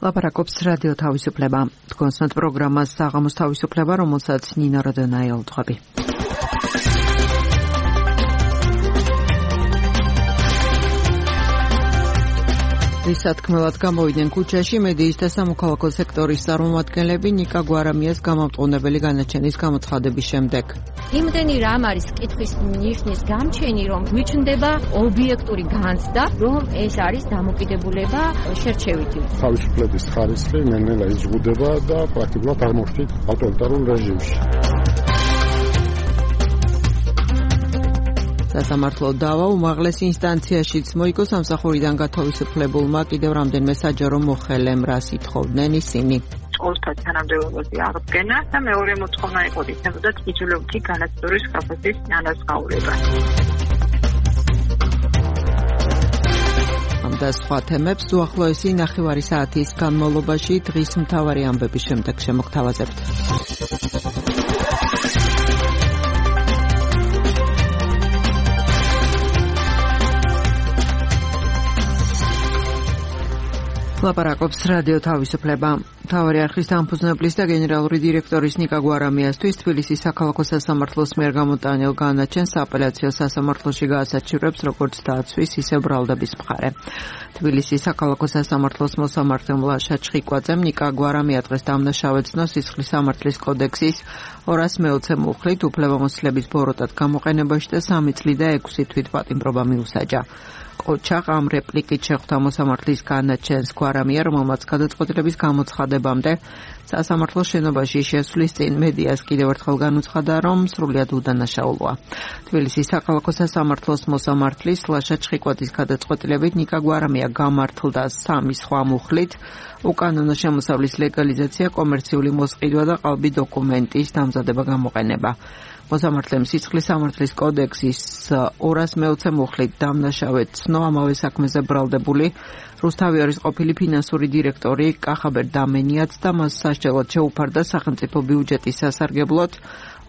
ლაპარაკობს რადიო თავისუფლება. თქვენსმენთ პროგრამას საღამოს თავისუფლება, რომელსაც ნინა როდონაია უთხრები. სათქმელად გამოვიდნენ ქუჩაში მედიის და სამოქალაქო სექტორის წარმომადგენლები ნიკა გვარამიას გამამტყუნებელი განაჩენის გამოცხადების შემდეგ. იმდენი რამ არის კითხვის ნიშნის გამჩენი, რომ გვიჩნდება ობიექტური განცდა, რომ ეს არის დამოკიდებულება შერჩევითი. თავისუფლების ხარისხი ნელ-ნელა იზღუდება და პრაქტიკულად აღმოჩნდით ავტორიტარულ რეჟიმში. სასამართლო დავა უმაღლეს ინსტანციაშიც მოიგო სამსახურიდან გათავისუფლებულმა კიდევ რამდენიმე საჯარო მოხელემ, რას ითხოვდნენ ისინი. ყოველთა თანამდებობაზე აღდგენა და მეორე მოთხოვნა იყო ისებოდათ იძულებითი განათლების კაფესის ანაზღაურება. ამ და სხვა თემებს უახლოესი ნახევარი საათის განმავლობაში დღის მთავარი ამბების შემდეგ შემოგთავაზებთ. ლაპარაკობს რადიო თავისუფლება. მთავარი არხის დამფუძნებლის და გენერალური დირექტორის ნიკა გვარამიასთვის თბილისის საქალაქო სასამართლოს მიერ გამოტანილ განაჩენს აპელაციო სასამართლოში გაასაჩივრებს როგორც დაცვის, ისე ბრალდების მხარე. თბილისის საქალაქო სასამართლოს მოსამართლე მლაშა ჩხიკვაძემ ნიკა გვარამია დღეს დამნაშავედ ცნო სისხლის სამართლის კოდექსის 240 მუხლით უფლებამოსილების ბოროტად გამოყენებაში და 3 წლი და 6 თვით პატიმრობა მიუსაჯა. ყოჩაღ ამ რეპლიკით შეხვდა მოსამართლის განაჩენს გვარამია, რომელმაც გადაწყვეტილების გამოცხადებამდე სასამართლოს შენობაში შესვლის წინ მედიას კიდევ ერთხელ განუცხადა, რომ სრულიად უდანაშაულოა. თბილისის საქალაქო სასამართლოს მოსამართლის ლაშა ჩხიკვაძის გადაწყვეტილებით ნიკა გვარამია გამართლდა 3 სხვა მუხლით, უკანონო შემოსავლის ლეგალიზაცია, კომერციული მოსყიდვა და ყალბი დოკუმენტის დამზადება გამოყენება. მოსამართლემ სისხლის სამართლის კოდექსის 240 მუხლით დამნაშავედ ცნო ამავე საქმეზე ბრალდებული რუსთავიორის ყოფილი ფინანსური დირექტორი კახაბერ დამენიაც და მას სასჯელოდ შეუფარდა სახელმწიფო ბიუჯეტის სასარგებლოდ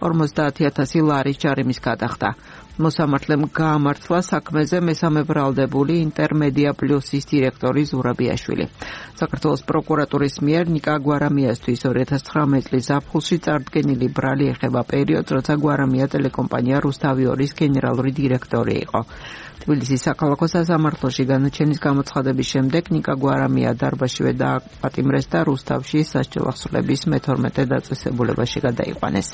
50,000 ლარის ჯარიმის გადახდა. მოსამართლემ გაამართლა საქმეზე მესამე ბრალდებული ინტერმედია პლუსის დირექტორი ზურაბიაშვილი. საქართველოს პროკურატურის მიერ ნიკა გვარამიასთვის 2019 წლის ზაფხულში წარდგენილი ბრალი ეხება პერიოდს, როცა გვარამია ტელეკომპანია რუსთავიორის გენერალური დირექტორი იყო. თბილისის საქალაქო სასამართლოში განაჩენის გამოცხადების შემდეგ ნიკა გვარამია დარბაზშივე დააპატიმრეს და რუსთავში სასჯელ ახსნების მე-12 დაწესებულებაში გადაიყვანეს.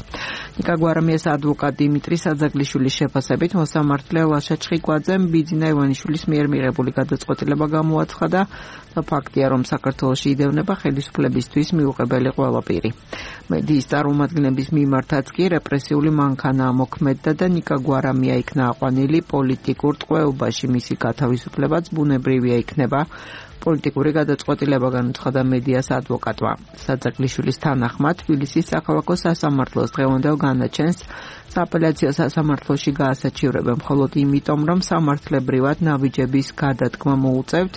ნიკა გვარამიას ადვოკატ დიმიტრი საძაგლიშვილის შეფასებით მოსამართლე ლაშა ჩხიკვაძემ ბიძინა ივანიშვილის მიერ მიღებული გადაწყვეტილება გამოაცხადა და ფაქტია, რომ საქართველოში იდევნება ხელისუფლებისთვის მიუღებელი ყველაფერი. მედიის წარმომადგენლების მიმართაც კი რეპრესიული მანქანა მოქმედდა და ნიკა გვარამია იქნა აყვანილი პოლიტიკურ ტყვეობაში, მისი გათავისუფლებაც ბუნებრივია იქნება. პოლიტიკური გადაწყვეტილება განუცხადა მედიას ადვოკატმა. საძაგლიშვილის თანახმად თბილისის საქალაქო სასამართლოს დღევანდელ განაჩენს სააპელაციო სასამართლოში გაასაჩივრებენ მხოლოდ იმიტომ, რომ სამართლებრივად ნაბიჯების გადადგმა მოუწევთ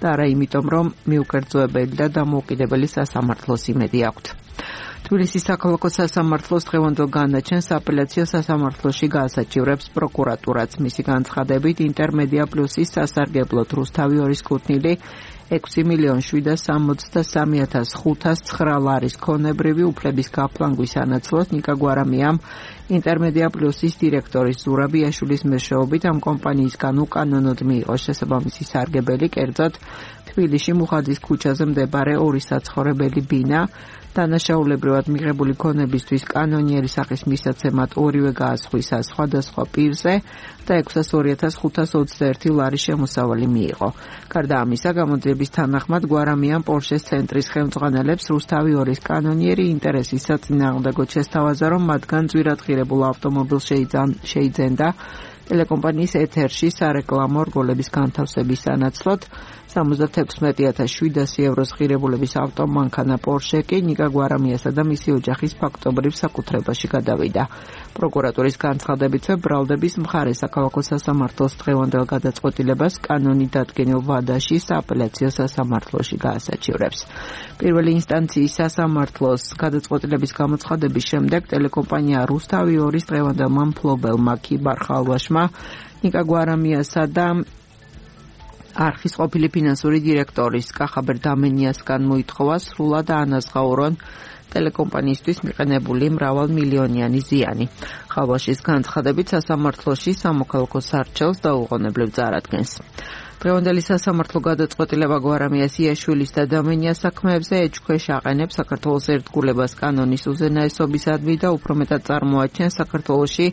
და არა იმიტომ, რომ მიუკერძოებელი და დამოუკიდებელი სასამართლოს იმედი აქვთ. თბილისის საქალაქო სასამართლოს დღევანდელ განაჩენს აპელაციო სასამართლოში გაასაჩივრებს პროკურატურაც. მისი განცხადებით ინტერმედია პლუსის სასარგებლოდ რუსთავიორის კუთვნილი 6,763,509 ლარის ქონებრივი უფლების გაფლანგვის ანაცვლოდ ნიკა გვარამიამ ინტერმედია პლუსის დირექტორის ზურაბიაშვილის მეშვეობით ამ კომპანიისგან უკანონოდ მიიღო შესაბამისი სარგებელი, კერძოდ თბილისში მუხაძის ქუჩაზე მდებარე 2 საცხოვრებელი ბინა, დანაშაულებრივად მიღებული ქონებისთვის კანონიერი სახის მისაცემად ორივე გაასხვისა სხვადასხვა პირზე და 602,521 ლარის შემოსავალი მიიღო. გარდა ამისა, გამოძიების თანახმად გვარამიამ პორშეს ცენტრის ხელმძღვანელებს რუსთავიორის კანონიერი ინტერესის საწინააღმდეგოდ შესთავაზა, რომ მათგან ძვირად ღირებულ ავტომობილს შეიძენდა ტელეკომპანიის ეთერში სარეკლამო რგოლების განთავსების სანაცვლოდ 76,700 ევროს ღირებულების ავტომანქანა პორშე კი ნიკა გვარამიასა და მისი ოჯახის ფაქტობრივ საკუთრებაში გადავიდა. პროკურატურის განცხადებითვე ბრალდების მხარე საქალაქო სასამართლოს დღევანდელ გადაწყვეტილებას კანონით დადგენილ ვადაში სააპელაციო სასამართლოში გაასაჩივრებს. პირველი ინსტანციის სასამართლოს გადაწყვეტილების გამოცხადების შემდეგ ტელეკომპანია რუსთავიორის დღევანდელმა მფლობელმა ქიბარ ხალვაშმა ნიკა გვარამიასა და არხის ყოფილი ფინანსური დირექტორის კახაბერ დამენიასგან მოითხოვა სრულად ანაზღაურონ ტელეკომპანიისთვის მიყენებული მრავალმილიონიანი ზიანი. ხალვაშის განცხადებით სასამართლოში სამოქალაქო სარჩელს დაუყოვნებლივ წარადგენს. დღევანდელი სასამართლო გადაწყვეტილება გვარამიას იაშვილის და დამენიას საქმეებზე ეჭქვეშ აყენებს საქართველოს ერთგულებას კანონის უზენაესობისადმი და უფრო მეტად წარმოაჩენს საქართველოში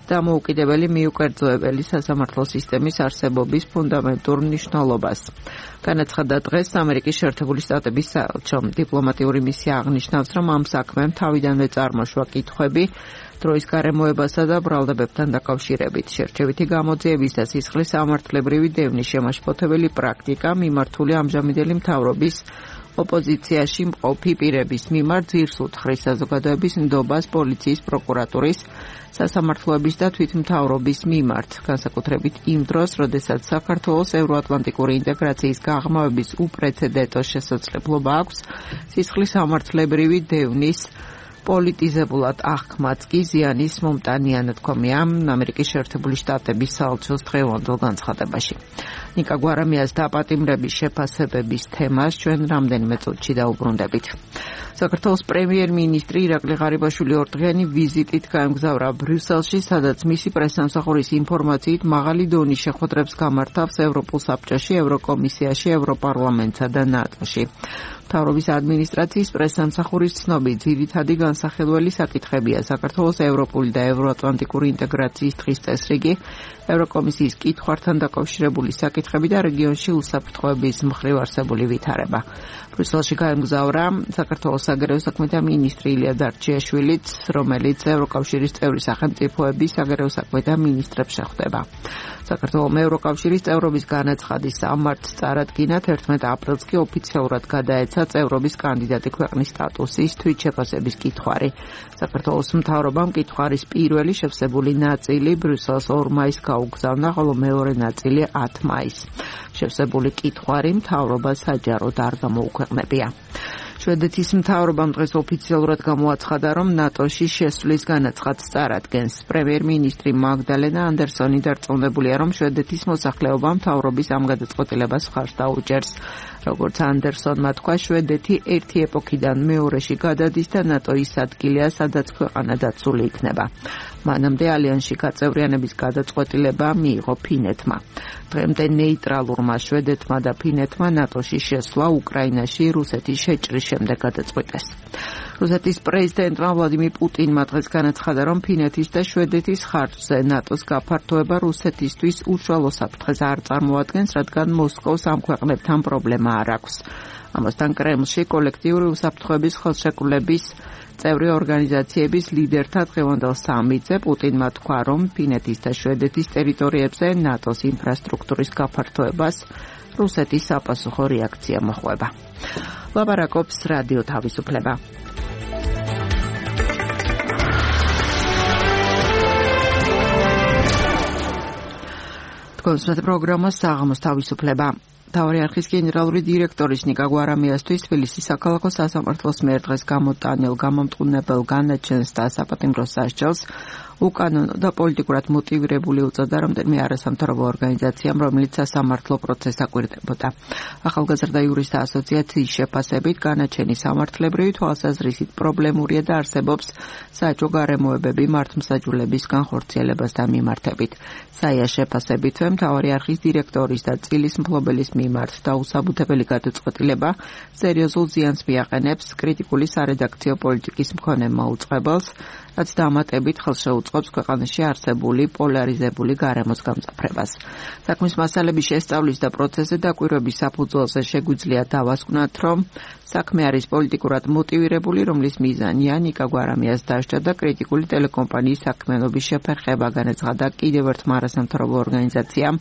დამოუკიდებელი მიუკერძოებელი სასამართლო სისტემის არსებობის ფუნდამენტურ მნიშვნელობას. განაცხადა დღეს ამერიკის შეერთებული შტატების საელჩომ. დიპლომატიური მისია აღნიშნავს, რომ ამ საქმემ თავიდანვე წარმოშვა კითხვები დროის გარემოებასა და ბრალდებებთან დაკავშირებით. შერჩევითი გამოძიების და სისხლის სამართლებრივი დევნის შემაშფოთებელი პრაქტიკა მიმართული ამჟამინდელი მთავრობის ოპოზიციაში მყოფი პირების მიმართ ძირს უთხრის საზოგადოების ნდობას პოლიციის, პროკურატურის, სასამართლოების და თვითმთავრობის მიმართ, განსაკუთრებით იმ დროს, როდესაც საქართველოს ევროატლანტიკური ინტეგრაციის გაღრმავების უპრეცედენტო შესაძლებლობა აქვს სისხლის სამართლებრივი დევნის პოლიტიზებულად აღქმაც კი ზიანის მომტანია, ნათქვამია ამერიკის შეერთებული შტატების საელჩოს დღევანდელ განცხადებაში. ნიკა გვარამიას დაპატიმრების შეფასებების თემას ჩვენ რამდენიმე წუთში დაუბრუნდებით. საქართველოს პრემიერ-მინისტრი ირაკლი ღარიბაშვილი ორდღიანი ვიზიტით გაემგზავრა ბრიუსელში, სადაც მისი პრესსამსახურის ინფორმაციით მაღალი დონის შეხვედრებს გამართავს ევროპულ საბჭოში, ევროკომისიაში, ევროპარლამენტსა და ნატოში. მთავრობის ადმინისტრაციის პრესსამსახურის ცნობით, ძირითადი განსახილველი საკითხებია საქართველოს ევროპული და ევროატლანტიკური ინტეგრაციის დღის წესრიგი, ევროკომისიის კითხვართან დაკავშირებული საკითხები და რეგიონში უსაფრთხოების მხრივ არსებული ვითარება. ბრიუსელში გაემგზავრა საქართველოს საგარეო საქმეთა მინისტრი ილია დარჩიაშვილიც, რომელიც ევროკავშირის წევრი სახელმწიფოების საგარეო საქმეთა მინისტრებს შეხვდება. საქართველოს ევროკავშირის წევრობის განაცხადის 3 მარტს წარადგინა, 11 აპრილს კი ოფიციალურად გადაეცა წევრობის კანდიდატი ქვეყნის სტატუსის თვითშეფასების კითხვარი. საქართველოს მთავრობამ კითხვარის პირველი შევსებული ნაწილი ბრიუსელს 2 მაისს გაუგზავნა, ხოლო მეორე ნაწილი 10 მაისს. შევსებული კითხვარი მთავრობას საჯაროდ არ გამოუქვეყნებია. შვედეთის მთავრობამ დღეს ოფიციალურად გამოაცხადა, რომ ნატოში შესვლის განაცხადს წარადგენს. პრემიერ-მინისტრი მაგდალენა ანდერსონი დარწმუნებულია, რომ შვედეთის მოსახლეობა მთავრობის ამ გადაწყვეტილებას მხარს დაუჭერს. როგორც ანდერსონმა თქვა, შვედეთი ერთი ეპოქიდან მეორეში გადადის და ნატო ის ადგილია, სადაც ქვეყანა დაცული იქნება. მანამდე ალიანსში გაწევრიანების გადაწყვეტილება მიიღო ფინეთმა. დღემდე ნეიტრალურმა შვედეთმა და ფინეთმა ნატოში შესვლა უკრაინაში რუსეთის შეჭრის შემდეგ გადაწყვიტეს. რუსეთის პრეზიდენტმა ვლადიმირ პუტინმა დღეს განაცხადა, რომ ფინეთის და შვედეთის ხარჯზე ნატოს გაფართოება რუსეთისთვის უშუალო საფრთხეს არ წარმოადგენს, რადგან მოსკოვს ამ ქვეყნებთან პრობლემა არ აქვს. ამასთან კრემლში კოლექტიური უსაფრთხოების ხელშეკრულების წევრი ორგანიზაციების ლიდერთა დღევანდელ სამიტზე პუტინმა თქვა, რომ ფინეთის და შვედეთის ტერიტორიებზე ნატოს ინფრასტრუქტურის გაფართოებას რუსეთის საპასუხო რეაქცია მოჰყვება. ლაპარაკობს რადიო თავისუფლება. თქვენს პროგრამას საღამოს თავისუფლება. მთავარი არხის გენერალური დირექტორის ნიკა გვარამიასთვის თბილისის საქალაქო სასამართლოს მიერ დღეს გამოტანილ გამომტყუნებელ განაჩენს და საპატიმრო სასჯელს უკანონო და პოლიტიკურად მოტივირებული უწოდა რამდენიმე არასამთავრობო ორგანიზაციამ, რომელიც სასამართლო პროცესს აკვირდებოდა. ახალგაზრდა იურისტთა ასოციაციის შეფასებით განაჩენი სამართლებრივი თვალსაზრისით პრობლემურია და არსებობს საჯო გარემოებები მართლმსაჯულების განხორციელებასთან მიმართებით. საია შეფასებითვე მთავარი არხის დირექტორის და წილის მფლობელის მიმართ დაუსაბუთებელი გადაწყვეტილება სერიოზულ ზიანს მიაყენებს კრიტიკული სარედაქციო პოლიტიკის მქონე მაუწყებელს, რაც დამატებით ხელშეუწყობს ქვეყანაში არსებული პოლარიზებული გარემოს გამწაფრებას. საქმის მასალების შესწავლის და პროცესზე დაკვირვების საფუძველზე შეგვიძლია დავასკვნათ, რომ საქმე არის პოლიტიკურად მოტივირებული, რომლის მიზანია ნიკა გვარამიას დასჯა და კრიტიკული ტელეკომპანიის საქმიანობის შეფერხება, განაცხადა კიდევ ერთმა არასამთავრობო ორგანიზაციამ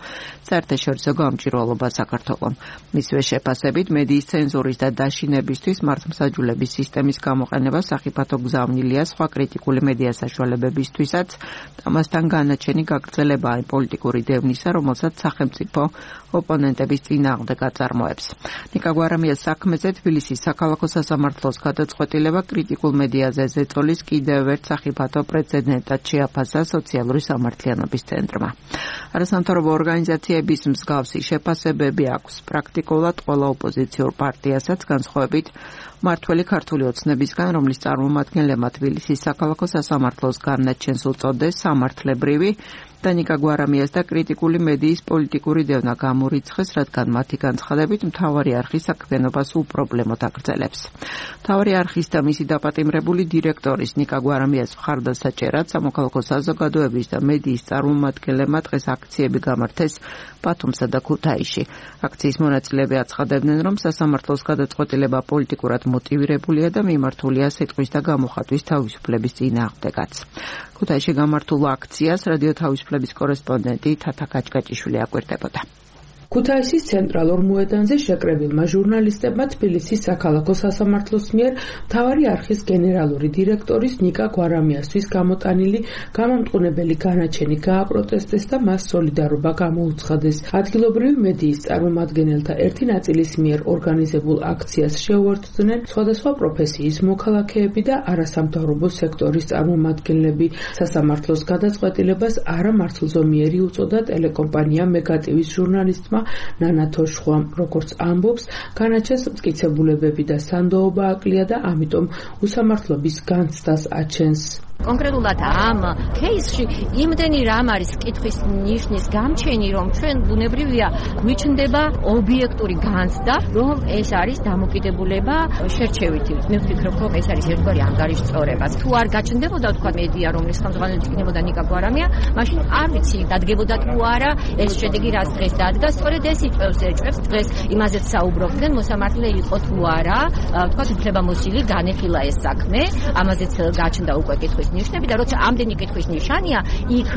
საერთაშორისო გამჭვირვალობა საქართველომ. მისივე შეფასებით მედიის ცენზურის და დაშინებისთვის მართლმსაჯულების სისტემის გამოყენება სახიფათო გზავნილია სხვა კრიტიკული მედია საშუალებებისთვისაც, ამასთან განაჩენი გაგრძელებაა პოლიტიკური დევნისა, რომელსაც სახელმწიფო ოპონენტების წინააღმდეგ აწარმოებს. ნიკა გვარამიას საქმეზე თბილისის საქალაქო სასამართლოს გადაწყვეტილება კრიტიკულ მედიაზე ზეწოლის კიდევ ერთ სახიფათო პრეცედენტად შეაფასა სოციალური სამართლიანობის ცენტრმა. არასამთავრობო ორგანიზაციების მსგავსი შეფასებები აქვს პრაქტიკულად ყველა ოპოზიციურ პარტიასაც, განსხვავებით მართველი ქართული ოცნებისგან, რომლის წარმომადგენლებმა თბილისის საქალაქო სასამართლოს განაჩენს უწოდეს სამართლებრივი და ნიკა გვარამიას და კრიტიკული მედიის პოლიტიკური დევნა გამორიცხეს, რადგან მათი განცხადებით მთავარი არხი საქმიანობას უპრობლემოდ აგრძელებს. მთავარი არხის და მისი დაპატიმრებული დირექტორის ნიკა გვარამიას მხარდასაჭერად სამოქალაქო საზოგადოების და მედიის წარმომადგენლებმა დღეს აქციები გამართეს ბათუმსა და ქუთაისში. აქციის მონაწილეები აცხადებდნენ, რომ სასამართლოს გადაწყვეტილება პოლიტიკურად მოტივირებულია და მიმართულია სიტყვის და გამოხატვის თავისუფლების წინააღმდეგაც. ქუთაისში გამართულ აქციას რადიო თავისუფლების კორესპონდენტი თათა კაჭკაჭიშვილი აკვირდებოდა. ქუთაისის ცენტრალურ მოედანზე შეკრებილმა ჟურნალისტებმა თბილისის საქალაქო სასამართლოს მიერ მთავარი არხის გენერალური დირექტორის ნიკა გვარამიასთვის გამოტანილი გამამტყუნებელი განაჩენი გააპროტესტეს და მას სოლიდარობა გამოუცხადეს. ადგილობრივი მედიის წარმომადგენელთა ერთი ნაწილის მიერ ორგანიზებულ აქციას შეუერთდნენ სხვადასხვა პროფესიის მოქალაქეები და არასამთავრობო სექტორის წარმომადგენლები. სასამართლოს გადაწყვეტილებას არამართლზომიერი უწოდა ტელეკომპანია მეგატივის ჟურნალისტმა ნანა თოშხვამ, როგორც ამბობს, განაჩენს მტკიცებულებები და სანდოობა აკლია და ამიტომ უსამართლობის განცდას აჩენს. კონკრეტულად ამ кейსში იმდენი რამ არის კითხვის ნიშნის გამჩენი, რომ ჩვენ ბუნებრივია გვიჩნდება ობიექტური განცდა, რომ ეს არის დამოკიდებულება შერჩევითი. მე ვფიქრობ, რომ ეს არის ერთგვარი ანგარიშწორება. თუ არ გაჩნდებოდა თქვა მედია, რომლის ხელმძღვანელი იქნებოდა ნიკა გვარამია, მაშინ არ ვიცი დადგებოდა თუ არა ეს შედეგი, რაც დღეს დადგა. სწორედ ეს ეჭვებს დღეს იმაზეც საუბრობდნენ, მოსამართლე იყო თუ არა, თქვა უფლებამოსილი განეხილა ეს საქმე, ამაზეც გაჩნდა უკვე კითხვის ნიშნები და როცა ამდენი კითხვის ნიშანია, იქ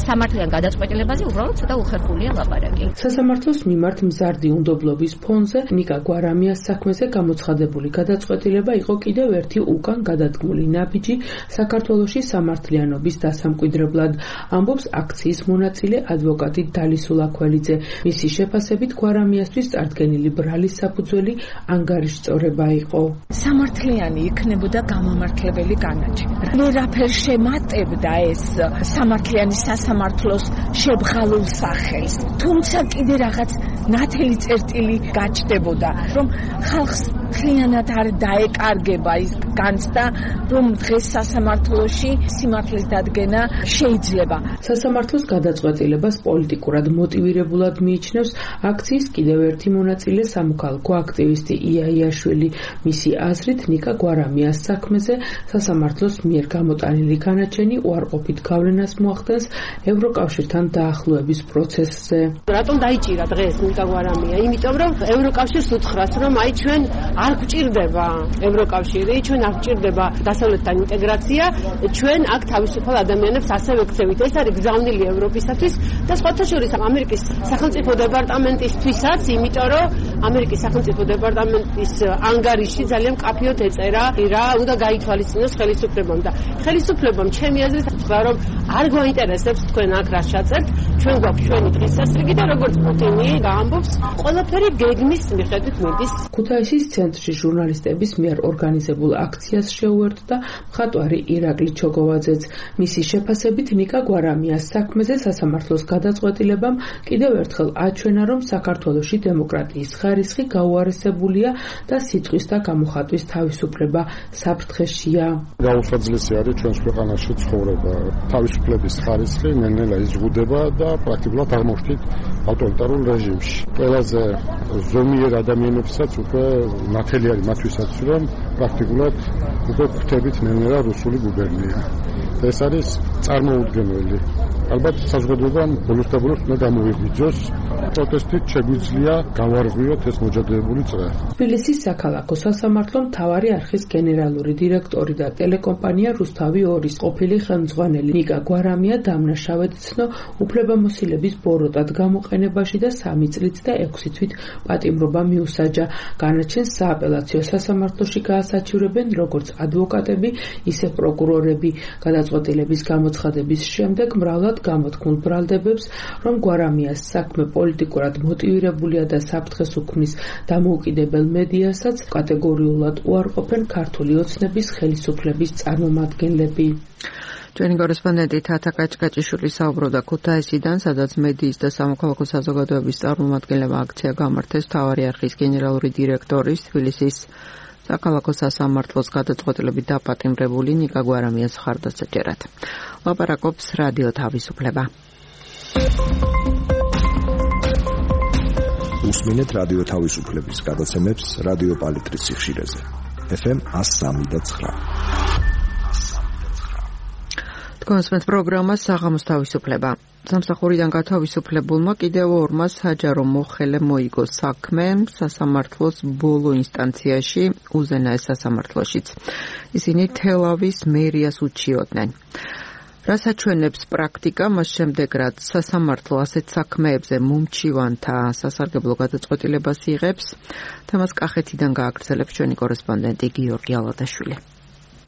სამართლიან გადაწყვეტილებაზე უბრალოდ ცოტა უხერხულია ლაპარაკი. სასამართლოს მიმართ მზარდი უნდობლობის ფონზე ნიკა გვარამიას საქმეზე გამოცხადებული გადაწყვეტილება იყო კიდევ ერთი უკან გადადგმული ნაბიჯი საქართველოში სამართლიანობის დასამკვიდრებლად, ამბობს აქციის მონაწილე ადვოკატი დალი სულაქველიძე. მისი შეფასებით გვარამიასთვის წარდგენილი ბრალის საფუძველი ანგარიშწორება იყო. სამართლიანი იქნებოდა გამომართლებელი განაჩენი. შემატებდა ეს სამართლიანი სასამართლოს შებღალულ სახელს. თუმცა კიდე რაღაც ნათელი წერტილი გაჩნდებოდა, რომ ხალხს მთლიანად არ დაეკარგება ის განცდა, რომ დღეს სასამართლოში სიმართლის დადგენა შეიძლება. სასამართლოს გადაწყვეტილებას პოლიტიკურად მოტივირებულად მიიჩნევს აქციის კიდევ ერთი მონაწილე სამოქალაქო აქტივისტი იაიაშვილი. მისი აზრით ნიკა გვარამიას საქმეზე სასამართლოს მიერ გამოტანილი განაჩენი უარყოფით გავლენას მოახდენს ევროკავშირთან დაახლოების პროცესზე. რატომ დაიჭირა დღეს ნიკა გვარამია? იმიტომ რომ ევროკავშირს უთხრას, რომ აი ჩვენ არ გვჭირდება ევროკავშირი, ჩვენ არ გვჭირდება დასავლეთთან ინტეგრაცია, ჩვენ აქ თავისუფალ ადამიანებს ასევე გქცევით. ეს არის გზავნილი ევროპისათვის და სხვათა შორის ამერიკის სახელმწიფო დეპარტამენტისთვისაც, იმიტომ რომ ამერიკის სახელმწიფო დეპარტამენტის ანგარიში ძალიან მკაფიოდ ეწერა, რა უნდა გაითვალისწინოს ხელისუფლებამ და ხელისუფლებამ ჩემი აზრით თქვა, რომ არ გვაინტერესებს თქვენ აქ რა შეაწერთ, ჩვენ გვაქვს ჩვენი დღესასწრგი და როგორც პუტინი გაამბობს, ყველაფერი გეგმის მიხედვით მიდის. ქუთაისის ცენტრში ჟურნალისტების მიერ ორგანიზებულ აქციას შეუერთდა მხატვარი ირაკლი ჩოგოვაძეც. მისი შეფასებით ნიკა გვარამიას საქმეზე სასამართლოს გადაწყვეტილებამ კიდევ ერთხელ აჩვენა, რომ საქართველოში დემოკრატიის ხარისხი გაუარესებულია და სიტყვის და გამოხატვის თავისუფლება საფრთხეშია. გაუხსნელესი არის ჩვენს ქვეყანაში ცხოვრება. თავისუფლების ხარისხი ნელ-ნელა იზღუდება და პრაქტიკულად აღმოჩნდით ავტორიტარულ რეჟიმში. ყველაზე ზომიერ ადამიანებსაც უკვე ნათელი არის მათთვისაც, რომ პრაქტიკულად უკვე გვხვდებით ნელ-ნელა რუსული გუბერნია. ეს არის წარმოუდგენელი. ალბათ საზოგადოებამ ბოლოს და ბოლოს უნდა გამოვიღვიძოს, პროტესტით შეგვიძლია გავარღვიოთ ეს მოჯადებული წრე. თბილისის საქალაქო სასამართლო მთავარი არხის გენერალური დირექტორი და ტელეკომპანია რუსთავი 2-ის ყოფილი ხელმძღვანელი ნიკა გვარამია დამნაშავედ ცნო უფლებამოსილების ბოროტად გამოყენებაში და 3 წლით და 6 თვით პატიმრობა მიუსაჯა. განაჩენს სააპელაციო სასამართლოში გაასაჩივრებენ როგორც ადვოკატები, ისე პროკურორები. გადაწყვეტილების გამოცხადების შემდეგ მრავლად ნაცვლად გამოთქმულ ბრალდებებს, რომ გვარამიას საქმე პოლიტიკურად მოტივირებულია და საფრთხეს უქმნის დამოუკიდებელ მედიასაც კატეგორიულად უარყოფენ ქართული ოცნების ხელისუფლების წარმომადგენლები. ჩვენი კორესპონდენტი თათა კაჭკაჭიშვილი საუბრობდა ქუთაისიდან, სადაც მედიის და სამოქალაქო საზოგადოების წარმომადგენლებმა აქცია გამართეს მთავარი არხის გენერალური დირექტორის თბილისის საქალაქო სასამართლოს გადაწყვეტილებით დაპატიმრებული ნიკა გვარამიას მხარდასაჭერად. ლაპარაკობს რადიო თავისუფლება. უსმინეთ რადიო თავისუფლების გადაცემებს რადიო პალიტრის სიხშირეზე. FM 103.9. კონსპენს პროგრამა საღამოს თავისუფლება. სამსახურიდან გათავისუფლებულმა კიდევ ორმა საჯარო მოხელე მოიგო საქმე სასამართლოს ბოლო ინსტანციაში, უზენაეს სასამართლოშიც. ისინი თელავის მერიას უჩიოდნენ. რასაც ჩვენებს პრაქტიკა, მას შემდეგ რაც სასამართლო ასეთ საქმეებზე მომჩივანთა სასარგებლო გადაწყვეტილებას იღებს, თემას კახეთიდან გააგრძელებს ჩვენი კორესპონდენტი გიორგი ალადაშვილი.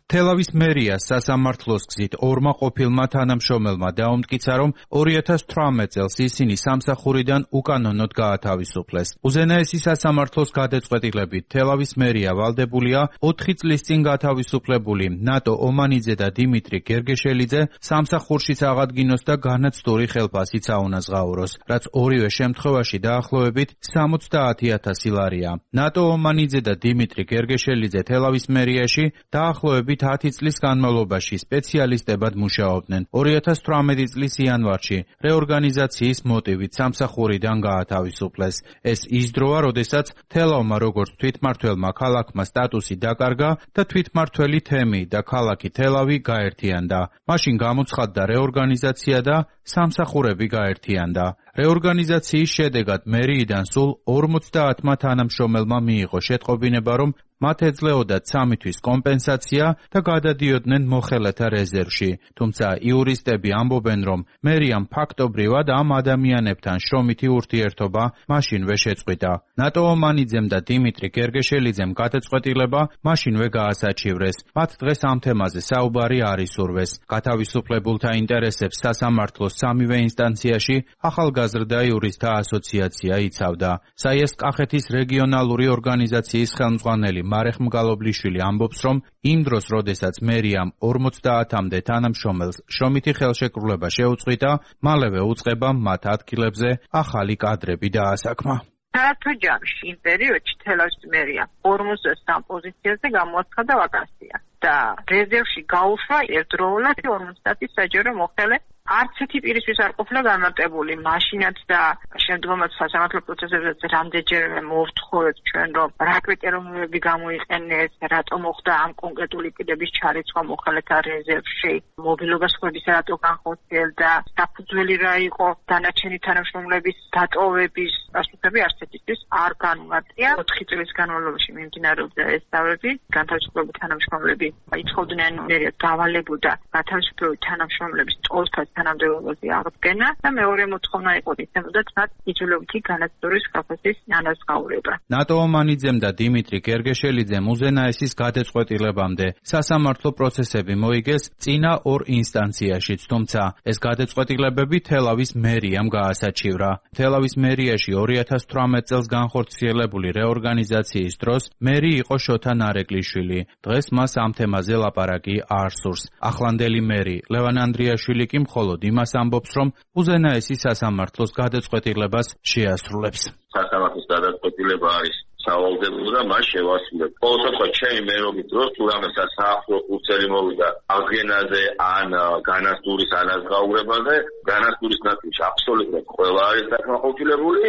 თელავის მერიას სასამართლოს გზით ორმა ყოფილმა თანამშრომელმა დაუმტკიცა, რომ 2018 წელს ისინი სამსახურიდან უკანონოდ გაათავისუფლეს. უზენაესი სასამართლოს გადაწყვეტილებით თელავის მერია ვალდებულია 4 წლის წინ გათავისუფლებული ნატო ომანიძე და დიმიტრი გერგეშელიძე სამსახურშიც აღადგინოს და განაცდური ხელფასიც აუნაზღაუროს, რაც ორივე შემთხვევაში დაახლოებით 70,000 ლარია. ნატო ომანიძე და დიმიტრი გერგეშელიძე თელავის მერიაში დაახლოებით 10 წლის განმავლობაში სპეციალისტებად მუშაობდნენ. 2018 წლის იანვარში რეორგანიზაციის მოტივით სამსახურიდან გაათავისუფლეს. ეს ის დროა, როდესაც თელავმა როგორც თვითმმართველმა ქალაქმა სტატუსი დაკარგა და თვითმმართველი თემი და ქალაქი თელავი გაერთიანდა. მაშინ გამოცხადდა რეორგანიზაცია და სამსახურები გაერთიანდა. რეორგანიზაციის შედეგად მერიიდან სულ 50 თანამშრომელმა მიიღო შეტყობინება, რომ მათ ეძლეოდათ 3 თვის კომპენსაცია და გადადიოდნენ მოხელეთა რეზერვში. თუმცა იურისტები ამბობენ, რომ მერიამ ფაქტობრივად ამ ადამიანებთან შრომითი ურთიერთობა მაშინვე შეწყვიტა. ნატო ომანიძემ და დიმიტრი გერგეშელიძემ გადაწყვეტილება მაშინვე გაასაჩივრეს. მათ დღეს ამ თემაზე საუბარი არ ისურვეს. გათავისუფლებულთა ინტერესებს სასამართლოს სამივე ინსტანციაში ახალგაზრდა იურისტთა ასოციაცია იცავდა. საიეს-კახეთის რეგიონალური ორგანიზაციის ხელმძღვანელი მარეხ მგალობლიშვილი ამბობს, რომ იმ დროს, როდესაც მერიამ 50-მდე თანამშრომელს შრომითი ხელშეკრულება შეუწყვიტა, მალევე უწყებამ მათ ადგილებზე ახალი კადრები დაასაქმა. საერთო ჯამში იმ პერიოდში თელავის მერია 53 პოზიციაზე გამოაცხადა ვაკანსია და რეზერვში გაუშვა ერთდროულად 50 საჯარო მოხელე. არც ერთი პირისთვის არ ყოფილა განმარტებული, მაშინაც და შემდგომაც სასამართლო პროცესებზეც რამდენჯერმე მოვთხოვეთ ჩვენ, რომ რა კრიტერიუმები გამოიყენეს, რატომ მოხდა ამ კონკრეტული პირების ჩარეცვა მოხელეთა რეზერვში, მობილობას ხვების რატო განხორციელდა, საფუძველი რა იყო დანარჩენი თანამშრომლების დატოვების პასუხები არც ერთისთვის არ განმარტია. 4 წლის განმავლობაში მიმდინარეობდა ეს დავები, განთავისუფლებული თანამშრომლები იცხოვდნენ მერიას დავალებოდა გათავისუფლებული თანამშრომლების ტოლფას თანამდებობაზე აღდგენა და მეორე მოთხოვნა იყო ისემოდაც მათ იძულებითი განაცდორის ხალხის ანაზღაურება. ნატო ომანიძემ და დიმიტრი გერგეშელიძემ უზენაესის გადაწყვეტილებამდე სასამართლო პროცესები მოიგეს წინა ორ ინსტანციაშიც, თუმცა ეს გადაწყვეტილებები თელავის მერიამ გაასაჩივრა. თელავის მერიაში 2018 წელს განხორციელებული რეორგანიზაციის დროს მერი იყო შოთა ნარეკვლიშვილი. დღეს მას ამ თემაზე ლაპარაკი არ სურს. ახლანდელი მერი ლევან ანდრიაშვილი კი მხოლოდ იმას ამბობს, რომ უზენაესი სასამართლოს გადაწყვეტილებას შეასრულებს. სასამართლოს გადაწყვეტილება არის სავალდებულო და მას შევასრულებ. ყოველ შემთხვევაში ჩემი მერობის დროს თუ რამე სასამართლო უწერი მოვიდა აღდგენაზე ან განაცდურის ანაზღაურებაზე, განაცდურის ნაწილში აბსოლუტურად ყველა არის დაკმაყოფილებული,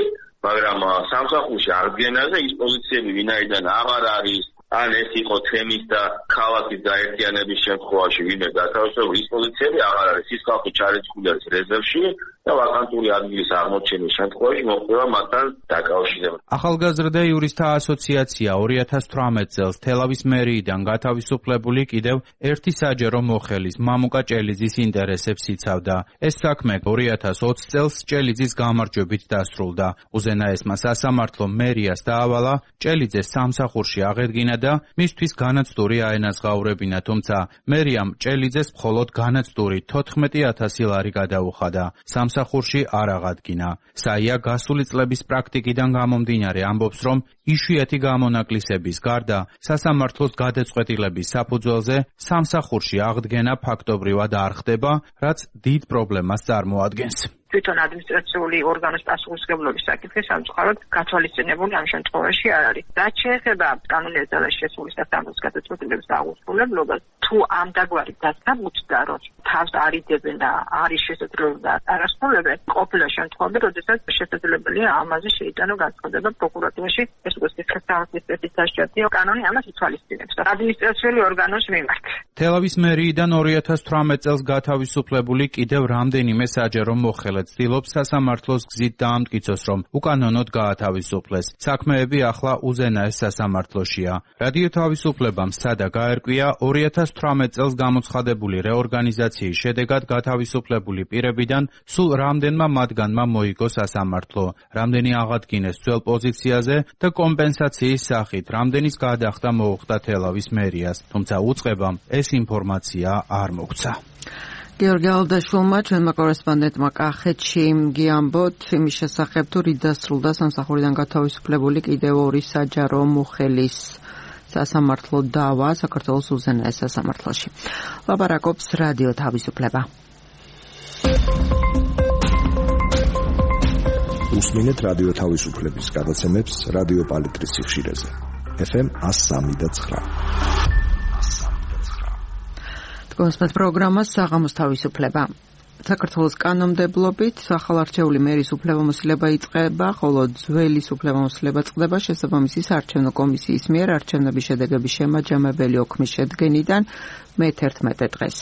მაგრამ სამსახურში აღდგენაზე ის პოზიციები ვინაიდან აღარ არის, ან ეს იყო თემის და ქალაქის გაერთიანების შემთხვევაში ვინმე გათავისუფლებული, ის პოზიციები აღარ არის. ის ხალხი ჩარეცხვილი არის რეზერვში და ვაკანტური ადგილის აღმოჩენის შემთხვევაში მოხდება მათთან დაკავშირება. ახალგაზრდა იურისტთა ასოციაცია 2018 წელს თელავის მერიიდან გათავისუფლებული კიდევ ერთი საჯარო მოხელის მამუკა ჭელიძის ინტერესებს იცავდა. ეს საქმე 2020 წელს ჭელიძის გამარჯვებით დასრულდა. უზენაესმა სასამართლო მერიას დაავალა ჭელიძეს სამსახურში აღედგინა და მისთვის განაცდური აენაზღაურებინა, თუმცა მერიამ ჭელიძეს მხოლოდ განაცდური 14,000 ლარი გადაუხადა. სამსახურში არ აღადგინა. საია გასული წლების პრაქტიკიდან გამომდინარე ამბობს, რომ იშვიათი გამონაკლისების გარდა სასამართლოს გადაწყვეტილების საფუძველზე სამსახურში აღდგენა ფაქტობრივად არ ხდება, რაც დიდ პრობლემას წარმოადგენს. თვითონ ადმინისტრაციული ორგანოს პასუხისმგებლობის საკითხი სამწუხაროდ გათვალისწინებული ამ შემთხვევაში არ არის. რაც შეეხება კანონიერ ძალაში შესული სასამართლოს გადაწყვეტილების აღუსრულებლობას, თუ ამ დაგვარი დასაბუთდა, რომ თავს არიდებენ და არის შესაძლებელი და არასრულებენ, ყოფილა შემთხვევები, როდესაც შესაძლებელია ამაზე შეიტანო განცხადება პროკურატურაში, ეს უკვე სასამართლოს სპეციფიკაცია კანონი ამას ითვალისწინებს ადმინისტრაციული ორგანოს მიმართ. თელავის მერიიდან 2018 წელს გათავისუფლებული კიდევ რამდენიმე საჯარო მოხელე ცდილობს სასამართლოს გზით დაამტკიცოს, რომ უკანონოდ გაათავისუფლეს. საქმეები ახლა უზენაეს სასამართლოშია. რადიო თავისუფლებამ სადა გაერკვია 2018 წელს გამოცხადებული რეორგანიზაციის შედეგად გათავისუფლებული პირებიდან სულ რამდენმა მათგანმა მოიგო სასამართლო, რამდენი აღადგინეს ძველ პოზიციაზე და კომპენსაციის სახით რამდენის გადახდა მოუხდა თელავის მერიას, თუმცა უწყებამ ეს ინფორმაცია არ მოგცა. გიორგი ალდაშვილმა ჩვენმა კორესპონდენტმა კახეთში გიამბოთ იმის შესახებ, თუ რით დასრულდა სამსახურიდან გათავისუფლებული კიდევ ორი საჯარო მოხელის სასამართლო დავა საქართველოს უზენაეს სასამართლოში. ლაპარაკობს რადიო თავისუფლება. უსმინეთ რადიო თავისუფლების გადაცემებს რადიო პალიტრის სიხშირეზე. FM 103.9. კონსპეთ პროგრამა საღამოს თავისუფლება. საქართველოს კანონმდებლობით ახალარჩეული მერის უფლებამოსილება იწყება, ხოლო ძველი უფლებამოსილება წყდება შესაბამისი საარჩევნო კომისიის მიერ არჩევნების შედეგების შემაჯამებელი ოქმის შედგენიდან მე-11 დღეს.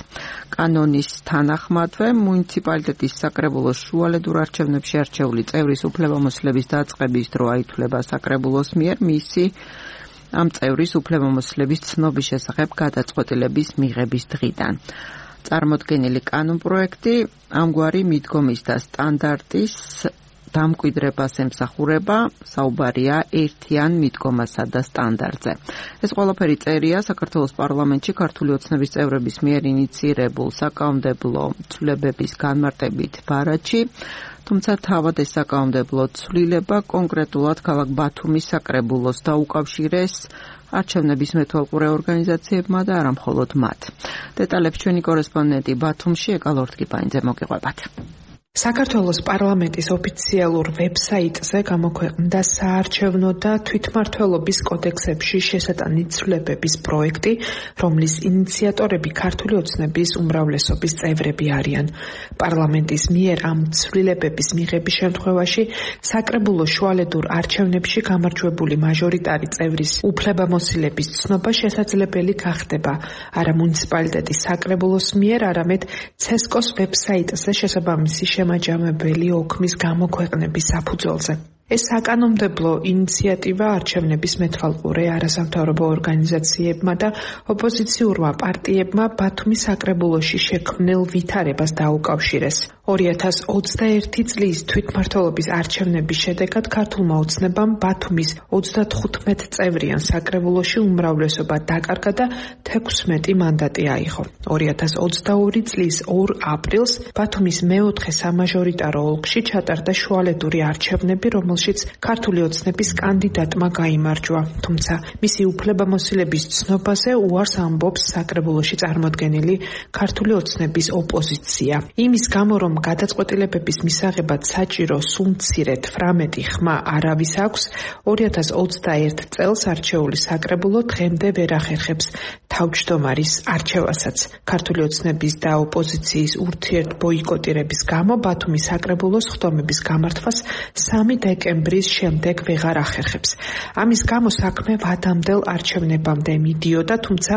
კანონის თანახმადვე მუნიციპალიტეტის საკრებულოს შუალედურ არჩევნებში არჩეული წევრის უფლებამოსილების დაწყების დრო აითვლება საკრებულოს მიერ მისი ამ წევრის უფლებამოსილების ცნობის შესახებ გადაწყვეტილების მიღების დღიდან. წარმოდგენილი კანონპროექტი ამგვარი მიდგომის და სტანდარტის დამკვიდრებას ემსახურება, საუბარია ერთიან მიდგომასა და სტანდარტზე. ეს ყველაფერი წერია საქართველოს პარლამენტში ქართული ოცნების წევრების მიერ ინიცირებულ საკანონმდებლო ცვლილებების განმარტებით ბარათში, თუმცა თავად ეს საკანონმდებლო ცვლილება კონკრეტულად ქალაქ ბათუმის საკრებულოს დაუკავშირეს არჩევნების მეთვალყურე ორგანიზაციებმა და არა მხოლოდ მათ. დეტალებს ჩვენი კორესპონდენტი ბათუმში ეკალორთგიბაინძე მოგიყვებათ. საქართველოს პარლამენტის ოფიციალურ ვებსაიტზე გამოქვეყნდა საარჩევნო და თვითმმართველობის კოდექსებში შესატანი ცვლილებების პროექტი, რომლის ინიციატორები ქართული ოცნების უმრავლესობის წევრები არიან. პარლამენტის მიერ ამ ცვლილებების მიღების შემთხვევაში საკრებულო შუალედურ არჩევნებში გამარჯვებული მაჟორიტარი წევრის უფლებამოსილების ცნობა შესაძლებელი გახდება არა მუნიციპალიტეტის საკრებულოს მიერ, არამედ ცესკოს ვებსაიტზე შესაბამისი შემაჯამებელი ოქმის გამოქვეყნების საფუძველზე. ეს საკანონმდებლო ინიციატივა არჩევნების მეთვალყურე არასამთავრობო ორგანიზაციებმა და ოპოზიციურმა პარტიებმა ბათუმის საკრებულოში შექმნილ ვითარებას დაუკავშირეს. 2021 წლის თვითმმართველობის არჩევნების შედეგად ქართულმა ოცნებამ ბათუმის 35 წევრიან საკრებულოში უმრავლესობა დაკარგა და 16 მანდატი აიღო. 2022 წლის 2 აპრილს ბათუმის მეოთხე სამაჟორიტარო ოლქში ჩატარდა შუალედური არჩევნები, რომელშიც ქართული ოცნების კანდიდატმა გაიმარჯვა, თუმცა მისი უფლებამოსილების ცნობაზე უარს ამბობს საკრებულოში წარმოდგენილი ქართული ოცნების ოპოზიცია. იმის გამო, რომ გადაწყვეტილებების მისაღებად საჭირო სულ მცირედ 18 ხმა არავის აქვს, 2021 წელს არჩეული საკრებულო დღემდე ვერ ახერხებს თავმჯდომარის არჩევასაც. ქართული ოცნების და ოპოზიციის ურთიერთბოიკოტირების გამო ბათუმის საკრებულოს ხდომების გამართვას 3 დეკემბრის შემდეგ ვეღარ ახერხებს. ამის გამო საქმე ვადამდელ არჩევნებამდე მიდიოდა, თუმცა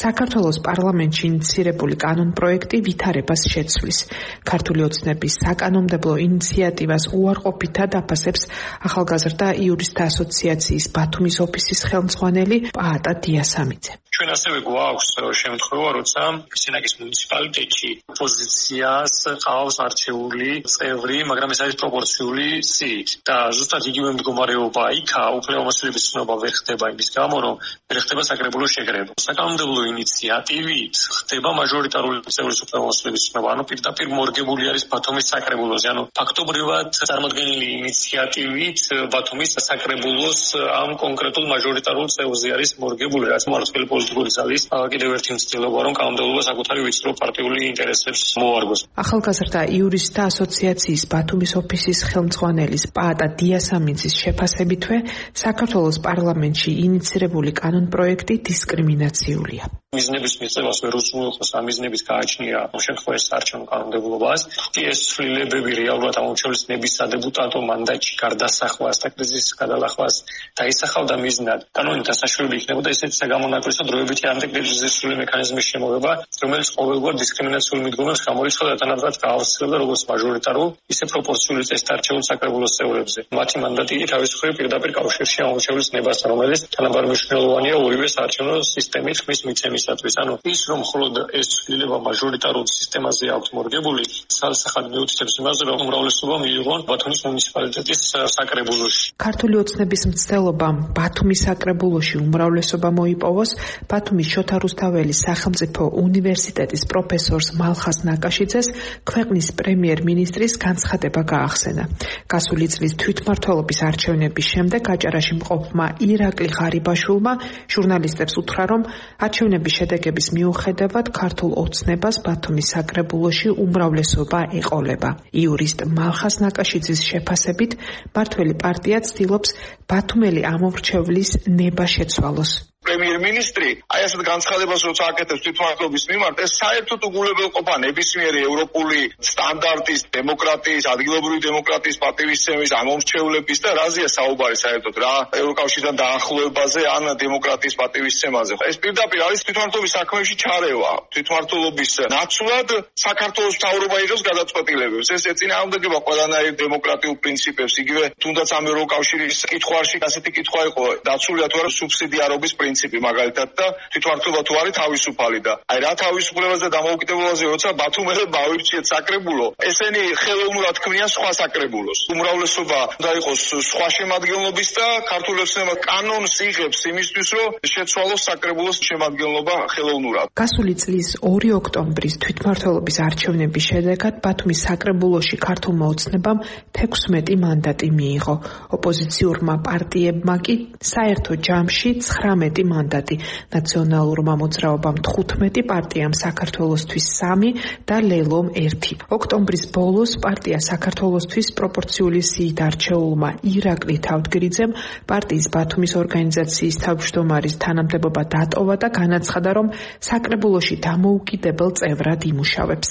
საქართველოს პარლამენტში ინიცირებული კანონპროექტი ვითარებას შეცვლის. ქართული ოცნების საკანონმდებლო ინიციატივას უარყოფითად აფასებს ახალგაზრდა იურისტთა ასოციაციის ბათუმის ოფისის ხელმძღვანელი პაატა დიასამიძე. ჩვენ ასევე გვაქვს შემთხვევა, როცა სენაკის მუნიციპალიტეტში ოპოზიციას ყავს არჩეული წევრი, მაგრამ ეს არის პროპორციული სიით და ზუსტად იგივე მდგომარეობა იქა უფლებამოსილების ცნობა ვერ ხდება იმის გამო, რომ ვერ ხდება საკრებულოს შეკრება. საკანონმდებლო ინიციატივით ხდება მაჟორიტარული წევრის უფლებამოსილების ცნობა, ანუ პირდაპირ მორგებული არის ბათუმის საკრებულოზე, ანუ ფაქტობრივად წარმოქმნილი ინიციატივით ბათუმის საკრებულოს ამ კონკრეტულ მაჟორიტარულ წევრზე არის მორგებული, რაც მარცხნივ პოლიტიკური ძალის კიდევ ერთი მცდელობა, რომ კანონმდებლობა საკუთარი ვიწრო პარტიული ინტერესებს მოარგოს. ახალგაზრდა იურისტთა ასოციაციის ბათუმის ოფისის ხელმძღვანელის პაატა დიასამიძის შეფასებითვე საქართველოს პარლამენტში ინიცირებული კანონპროექტი დისკრიმინაციულია. მიზნების მიღებას ვერ უზრუნველყოფს, ამ მიზნების გააჩნია შემთხვევაში საარჩევნო კანონმდებლობას. ეს ცვლილებები რეალურად ამორჩეულის ნების სადეპუტატო მანდატში გარდასახვას და კრიზისის გადალახვას დაისახავდა მიზნად. კანონით დასაშვებული იქნებოდა ესეთი საგამონაკლისო დროებითი ანტიკრიზისული მექანიზმის შემოღება, რომელიც ყოველგვარ დისკრიმინაციულ მიდგომებს გამოიცხადა და თანაბრად გაავრცელდა როგორც მაჟორიტარულ, ისე პროპორციული წესით არჩეულ საკრებულოს წევრებზე. მათი მანდატი თავის მხრივ პირდაპირ კავშირში ამორჩეულის ნებასთან, რომელიც თანაბარ მნიშვნელოვანია ორივე საარჩევნო სისტემით ხმის მიცემისათვის. ანუ ის რომ მხოლოდ ეს ცვლილება მაჟორიტარულ სისტემაზე აქვს მორგებული, სალსახად მიუთითებს იმაზე, რომ უმრავლესობა მიიღონ ბათუმის მუნიციპალიტეტის საკრებულოში. ქართული ოცნების მცდელობამ ბათუმის საკრებულოში უმრავლესობა მოიპოვოს ბათუმის შოთა რუსთაველის სახელმწიფო უნივერსიტეტის პროფესორს მალხას ნაკაშიძეს ქვეყნის პრემიერ-მინისტრის განცხადება გაახსენა. გასული წლის თვითმმართველობის არჩევნების შემდეგ აჭარაში მყოფმა ირაკლი ღარიბაშვილმა ჟურნალისტებს უთხრა, რომ არჩევნების შედეგების მიუხედავად ქართულ ოცნებას ბათუმის საკრებულოში უმრავლესობა ეყოლება. იურისტ მალხას ნაკაშიძის შეფასებით, მმართველი პარტია ცდილობს ბათუმელი ამორჩევლის ნება შეცვალოს. პრემიერ-მინისტრი აი ასეთ განცხადებას როცა აკეთებს თვითმმართველობის მიმართ, ეს საერთოდ უგულებელყოფა ნებისმიერი ევროპული სტანდარტის, დემოკრატიის, ადგილობრივი დემოკრატიის პატივისცემის, ამორჩევლების და რაზეა საუბარი საერთოდ რა ევროკავშირთან დაახლოებაზე ან დემოკრატიის პატივისცემაზე. ეს პირდაპირ არის თვითმმართველობის საქმეებში ჩარევა. თვითმმართველობის ნაცვლად საქართველოს მთავრობა იღებს გადაწყვეტილებებს. ეს ეწინააღმდეგება ყველანაირ დემოკრატიულ პრინციპებს. იგივე თუნდაც ამ ევროკავშირის კითხვაში ასეთი კითხვა იყო, დაცულია თუ არა სუბსიდიარობის პრინციპი მაგალითად და თვითმმართველობა თუ არის თავისუფალი და აი რა თავისუფლებაზე და დამოუკიდებლობაზე როცა ბათუმელებმა ავირჩიეთ საკრებულო, ესენი ხელოვნურად ქმნიან სხვა საკრებულოს. უმრავლესობა უნდა იყოს სხვა შემადგენლობის და ქართული ოცნება კანონს იღებს იმისთვის, რომ შეცვალოს საკრებულოს შემადგენლობა ხელოვნურად. გასული წლის 2 ოქტომბრის თვითმმართველობის არჩევნების შედეგად ბათუმის საკრებულოში ქართულმა ოცნებამ 16 მანდატი მიიღო. ოპოზიციურმა პარტიებმა კი საერთო ჯამში 19 მანდატი, ნაციონალურმა მოძრაობამ 15, პარტიამ საქართველოსთვის 3 და ლელომ 1. ოქტომბრის ბოლოს პარტია საქართველოსთვის პროპორციული სიით არჩეულმა ირაკლი თავდგრიძემ პარტიის ბათუმის ორგანიზაციის თავმჯდომარის თანამდებობა დატოვა და განაცხადა, რომ საკრებულოში დამოუკიდებელ წევრად იმუშავებს.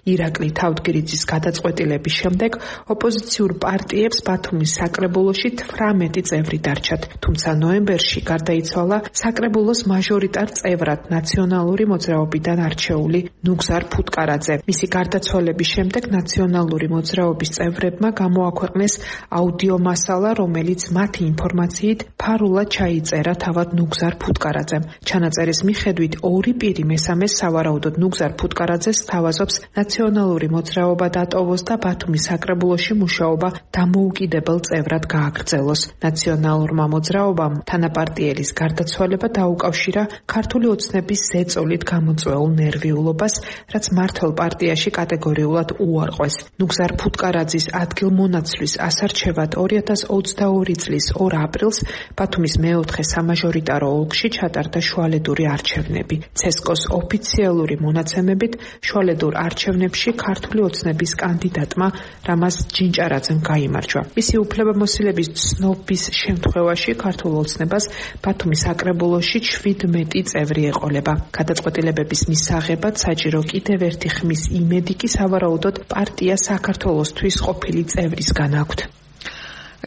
ირაკლი თავდგრიძის გადაწყვეტილების შემდეგ ოპოზიციურ პარტიებს ბათუმის საკრებულოში 18 წევრი დარჩათ, თუმცა ნოემბერში გარდაიცვალა საკრებულოს მაჟორიტარ წევრად ნაციონალური მოძრაობიდან არჩეული ნუგზარ ფუტკარაძე. მისი გარდაცვალების შემდეგ ნაციონალური მოძრაობის წევრებმა გამოაქვეყნეს აუდიო მასალა, რომელიც მათი ინფორმაციით ფარულად ჩაიწერა თავად ნუგზარ ფუტკარაძემ. ჩანაწერის მიხედვით 2 პირი მესამეს სავარაუდოდ ნუგზარ ფუტკარაძეს სთავაზობს ნაციონალური მოძრაობა დატოვოს და ბათუმის საკრებულოში მუშაობა დამოუკიდებელ წევრად გააგრძელოს. ნაციონალურმა მოძრაობამ თანაპარტიელის გარდაცვალება დაუკავშირა ქართული ოცნების ზეწოლით გამოწვეულ ნერვიულობას, რაც მმართველ პარტიაში კატეგორიულად უარყვეს. ნუგზარ ფუტკარაძის ადგილმონაცვლის ასარჩევად 2022 წლის 2 აპრილს ბათუმის მეოთხე სამაჟორიტარო ოლქში ჩატარდა შუალედური არჩევნები. ცესკოს ოფიციალური მონაცემებით შუალედურ არჩევნებში ქართული ოცნების კანდიდატმა რამაზ ჯინჭარაძემ გაიმარჯვა. მისი უფლებამოსილების ცნობის შემთხვევაში ქართულ ოცნებას ბათუმის საკრებულოში 17 წევრი ეყოლება. გადაწყვეტილებების მისაღებად საჭირო კიდევ ერთი ხმის იმედი კი სავარაუდოდ პარტია საქართველოსთვის ყოფილი წევრისგან აქვთ.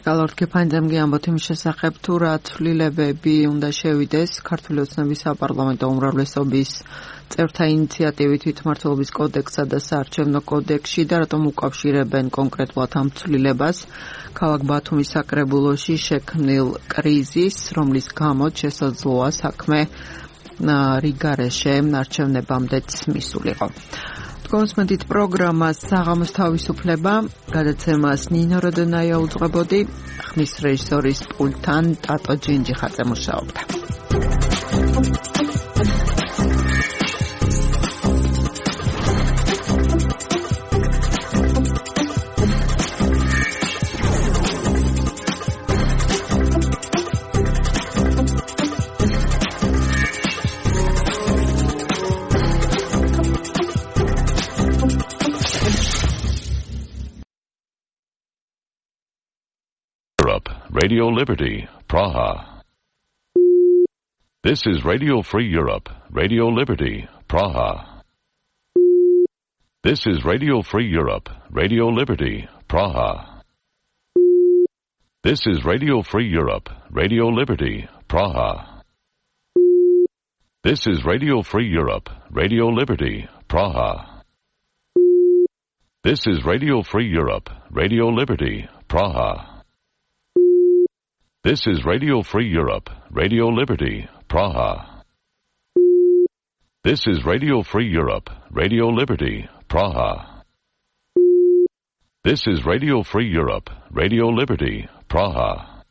გალორთქი ფანძამგი ამბობთ იმ შესახებ, თუ რა ცვლილებები უნდა შევიდეს ქართული ოცნების საპარლამენტო უმრავლესობის წევრთა ინიციატივით თვითმმართველობის კოდექსსა და საარჩევნო კოდექსში და რატომ უკავშირებენ კონკრეტულად ამ ცვლილებას ქალაქ ბათუმის საკრებულოში შექმნილ კრიზისს, რომლის გამოც შესაძლოა საქმე რიგარეშე არჩევნებამდეც მისულიყო. კონსმენტით პროგრამას საღამოს თავისუფლება გადაცემას ნინო როდონაია უძღვებოდი, ხმის რეჟისორის პულტთან ტატო ჯინჯიხაძე მუშაობდა. Radio Liberty, Praha. This is Radio Free Europe, Radio Liberty, Praha. This is Radio Free Europe, Radio Liberty, Praha. This is Radio Free Europe, Radio Liberty, Praha. This is Radio Free Europe, Radio Liberty, Praha. This is Radio Free Europe, Radio Liberty, Praha. This is Radio Free Europe, Radio Liberty, Praha. This is Radio Free Europe, Radio Liberty, Praha. This is Radio Free Europe, Radio Liberty, Praha.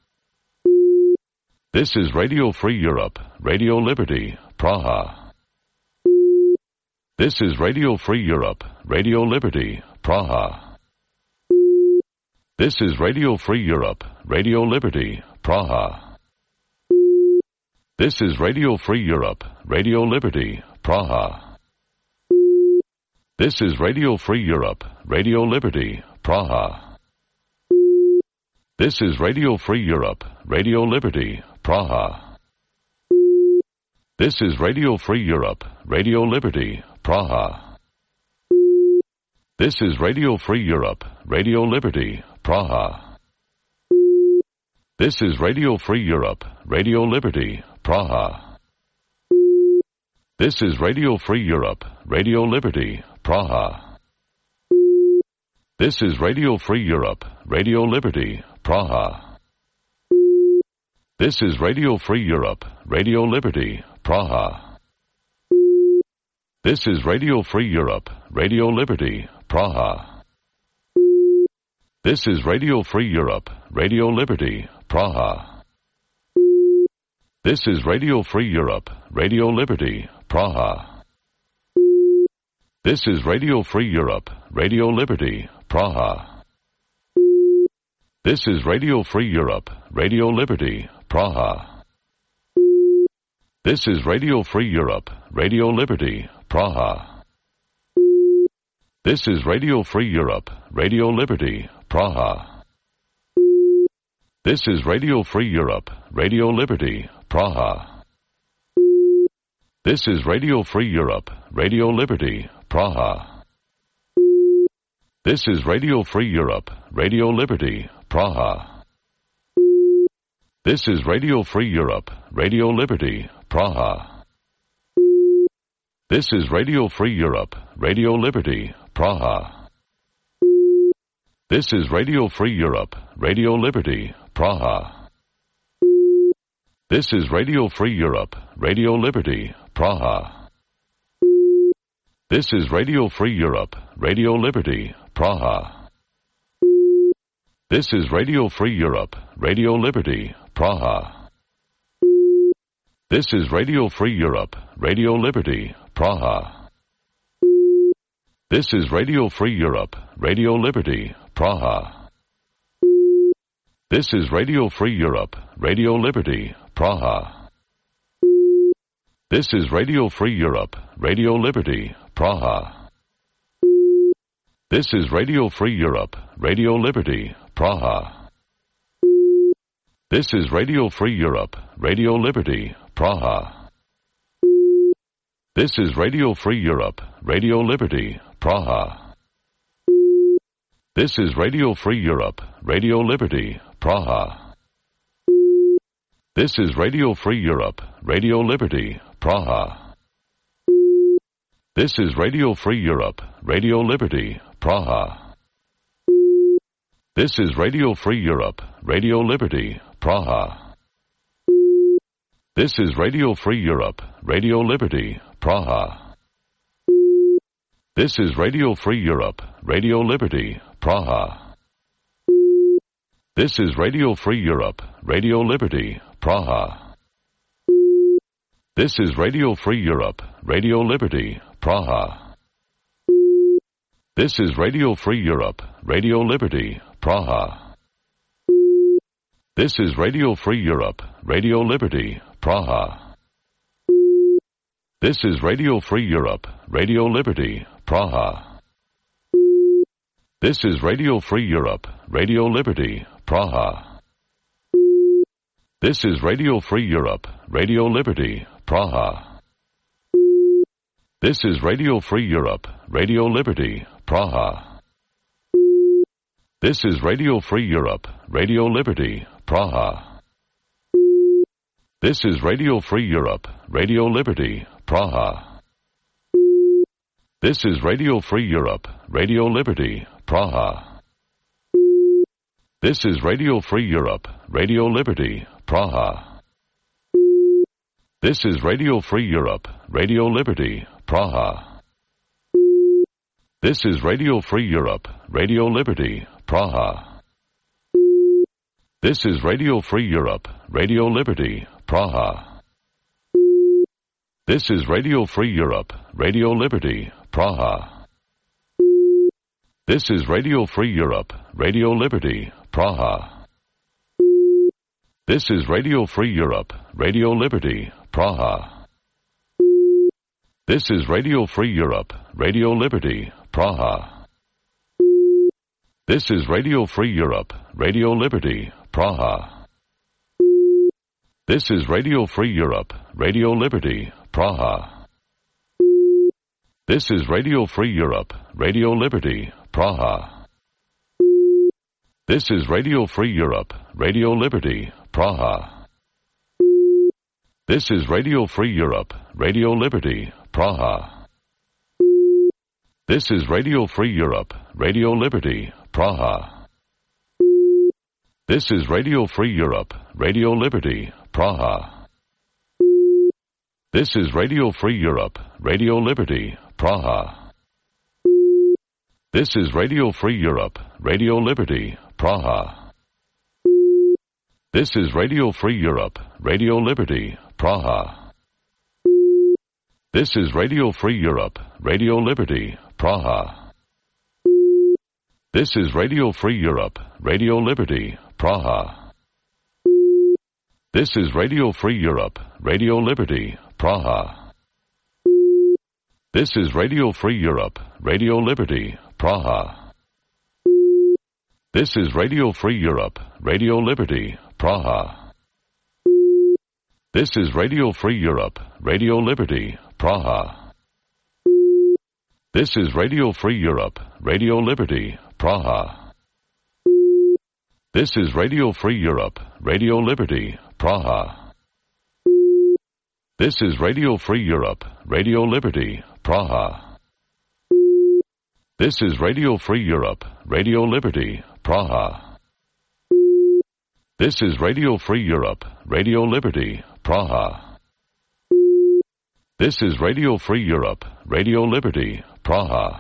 This is Radio Free Europe, Radio Liberty, Praha. This is Radio Free Europe, Radio Liberty, Praha. This is Radio Free Europe, Radio Liberty, Praha. This is Radio Free Europe, Radio Liberty, Praha. This is Radio Free Europe, Radio Liberty, Praha. This is Radio Free Europe, Radio Liberty, Praha. This is Radio Free Europe, Radio Liberty, Praha. This is Radio Free Europe, Radio Liberty, Praha. This is Radio Free Europe, Radio Liberty, Praha. This is Radio Free Europe, Radio Liberty, Praha. This is Radio Free Europe, Radio Liberty, Praha. This is Radio Free Europe, Radio Liberty, Praha. This is Radio Free Europe, Radio Liberty, Praha. This is Radio Free Europe, Radio Liberty, Praha. This is Radio Free Europe, Radio Liberty, Praha. This is Radio Free Europe, Radio Liberty, Praha. This is Radio Free Europe, Radio Liberty, Praha. This is Radio Free Europe, Radio Liberty, Praha. This is Radio Free Europe, Radio Liberty, Praha. This is Radio Free Europe, Radio Liberty, Praha. This is Radio Free Europe, Radio Liberty, Praha. This is Radio Free Europe, Radio Liberty, Praha. This is Radio Free Europe, Radio Liberty, Praha. This is Radio Free Europe, Radio Liberty, Praha. This is Radio Free Europe, Radio Liberty, Praha. This is Radio Free Europe, Radio Liberty, Praha. This is Radio Free Europe, Radio Liberty, Praha. This is Radio Free Europe, Radio Liberty, Praha. This is Radio Free Europe, Radio Liberty, Praha. This is Radio Free Europe, Radio Liberty, Praha. This is Radio Free Europe, Radio Liberty, Praha. This is Radio Free Europe, Radio Liberty, Praha. This is Radio Free Europe, Radio Liberty, Praha. This is Radio Free Europe, Radio Liberty, Praha. This is Radio Free Europe, Radio Liberty, Praha. This is Radio Free Europe, Radio Liberty, Praha. This is Radio Free Europe, Radio Liberty, Praha. This is Radio Free Europe, Radio Liberty, Praha. This is Radio Free Europe, Radio Liberty, Praha. This is Radio Free Europe, Radio Liberty, Praha. This is Radio Free Europe, Radio Liberty, Praha. This is Radio Free Europe, Radio Liberty, Praha. This is Radio Free Europe, Radio Liberty, Praha. This is Radio Free Europe, Radio Liberty, Praha. This is Radio Free Europe, Radio Liberty, Praha. This is Radio Free Europe, Radio Liberty, Praha. This is Radio Free Europe, Radio Liberty, Praha. This is Radio Free Europe, Radio Liberty, Praha. This is Radio Free Europe, Radio Liberty, Praha. This is Radio Free Europe, Radio Liberty, Praha. This is Radio Free Europe, Radio Liberty, Praha. This is Radio Free Europe, Radio Liberty, Praha. This is Radio Free Europe, Radio Liberty, Praha. This is Radio Free Europe, Radio Liberty, Praha. This is Radio Free Europe, Radio Liberty, Praha. This is Radio Free Europe, Radio Liberty, Praha. This is Radio Free Europe, Radio Liberty, Praha. This is Radio Free Europe, Radio Liberty, Praha. This is Radio Free Europe, Radio Liberty, Praha. This is Radio Free Europe, Radio Liberty, Praha. This is Radio Free Europe, Radio Liberty, Praha. This is Radio Free Europe, Radio Liberty, Praha. This is Radio Free Europe, Radio Liberty, Praha. This is Radio Free Europe, Radio Liberty, Praha. This is Radio Free Europe, Radio Liberty, Praha. This is Radio Free Europe, Radio Liberty, Praha. This is Radio Free Europe, Radio Liberty, Praha. This is Radio Free Europe, Radio Liberty, Praha. This is Radio Free Europe, Radio Liberty, Praha. This is Radio Free Europe, Radio Liberty, Praha. This is Radio Free Europe, Radio Liberty, Praha. This is Radio Free Europe, Radio Liberty, Praha. This is Radio Free Europe, Radio Liberty, Praha. This is Radio Free Europe, Radio Liberty, Praha. This is Radio Free Europe, Radio Liberty, Praha. This is Radio Free Europe, Radio Liberty, Praha. This is Radio Free Europe, Radio Liberty, Praha. This is Radio Free Europe, Radio Liberty, Praha. This is Radio Free Europe, Radio Liberty, Praha. This is Radio Free Europe, Radio Liberty, Praha. This is Radio Free Europe, Radio Liberty, Praha. This is Radio Free Europe, Radio Liberty, Praha.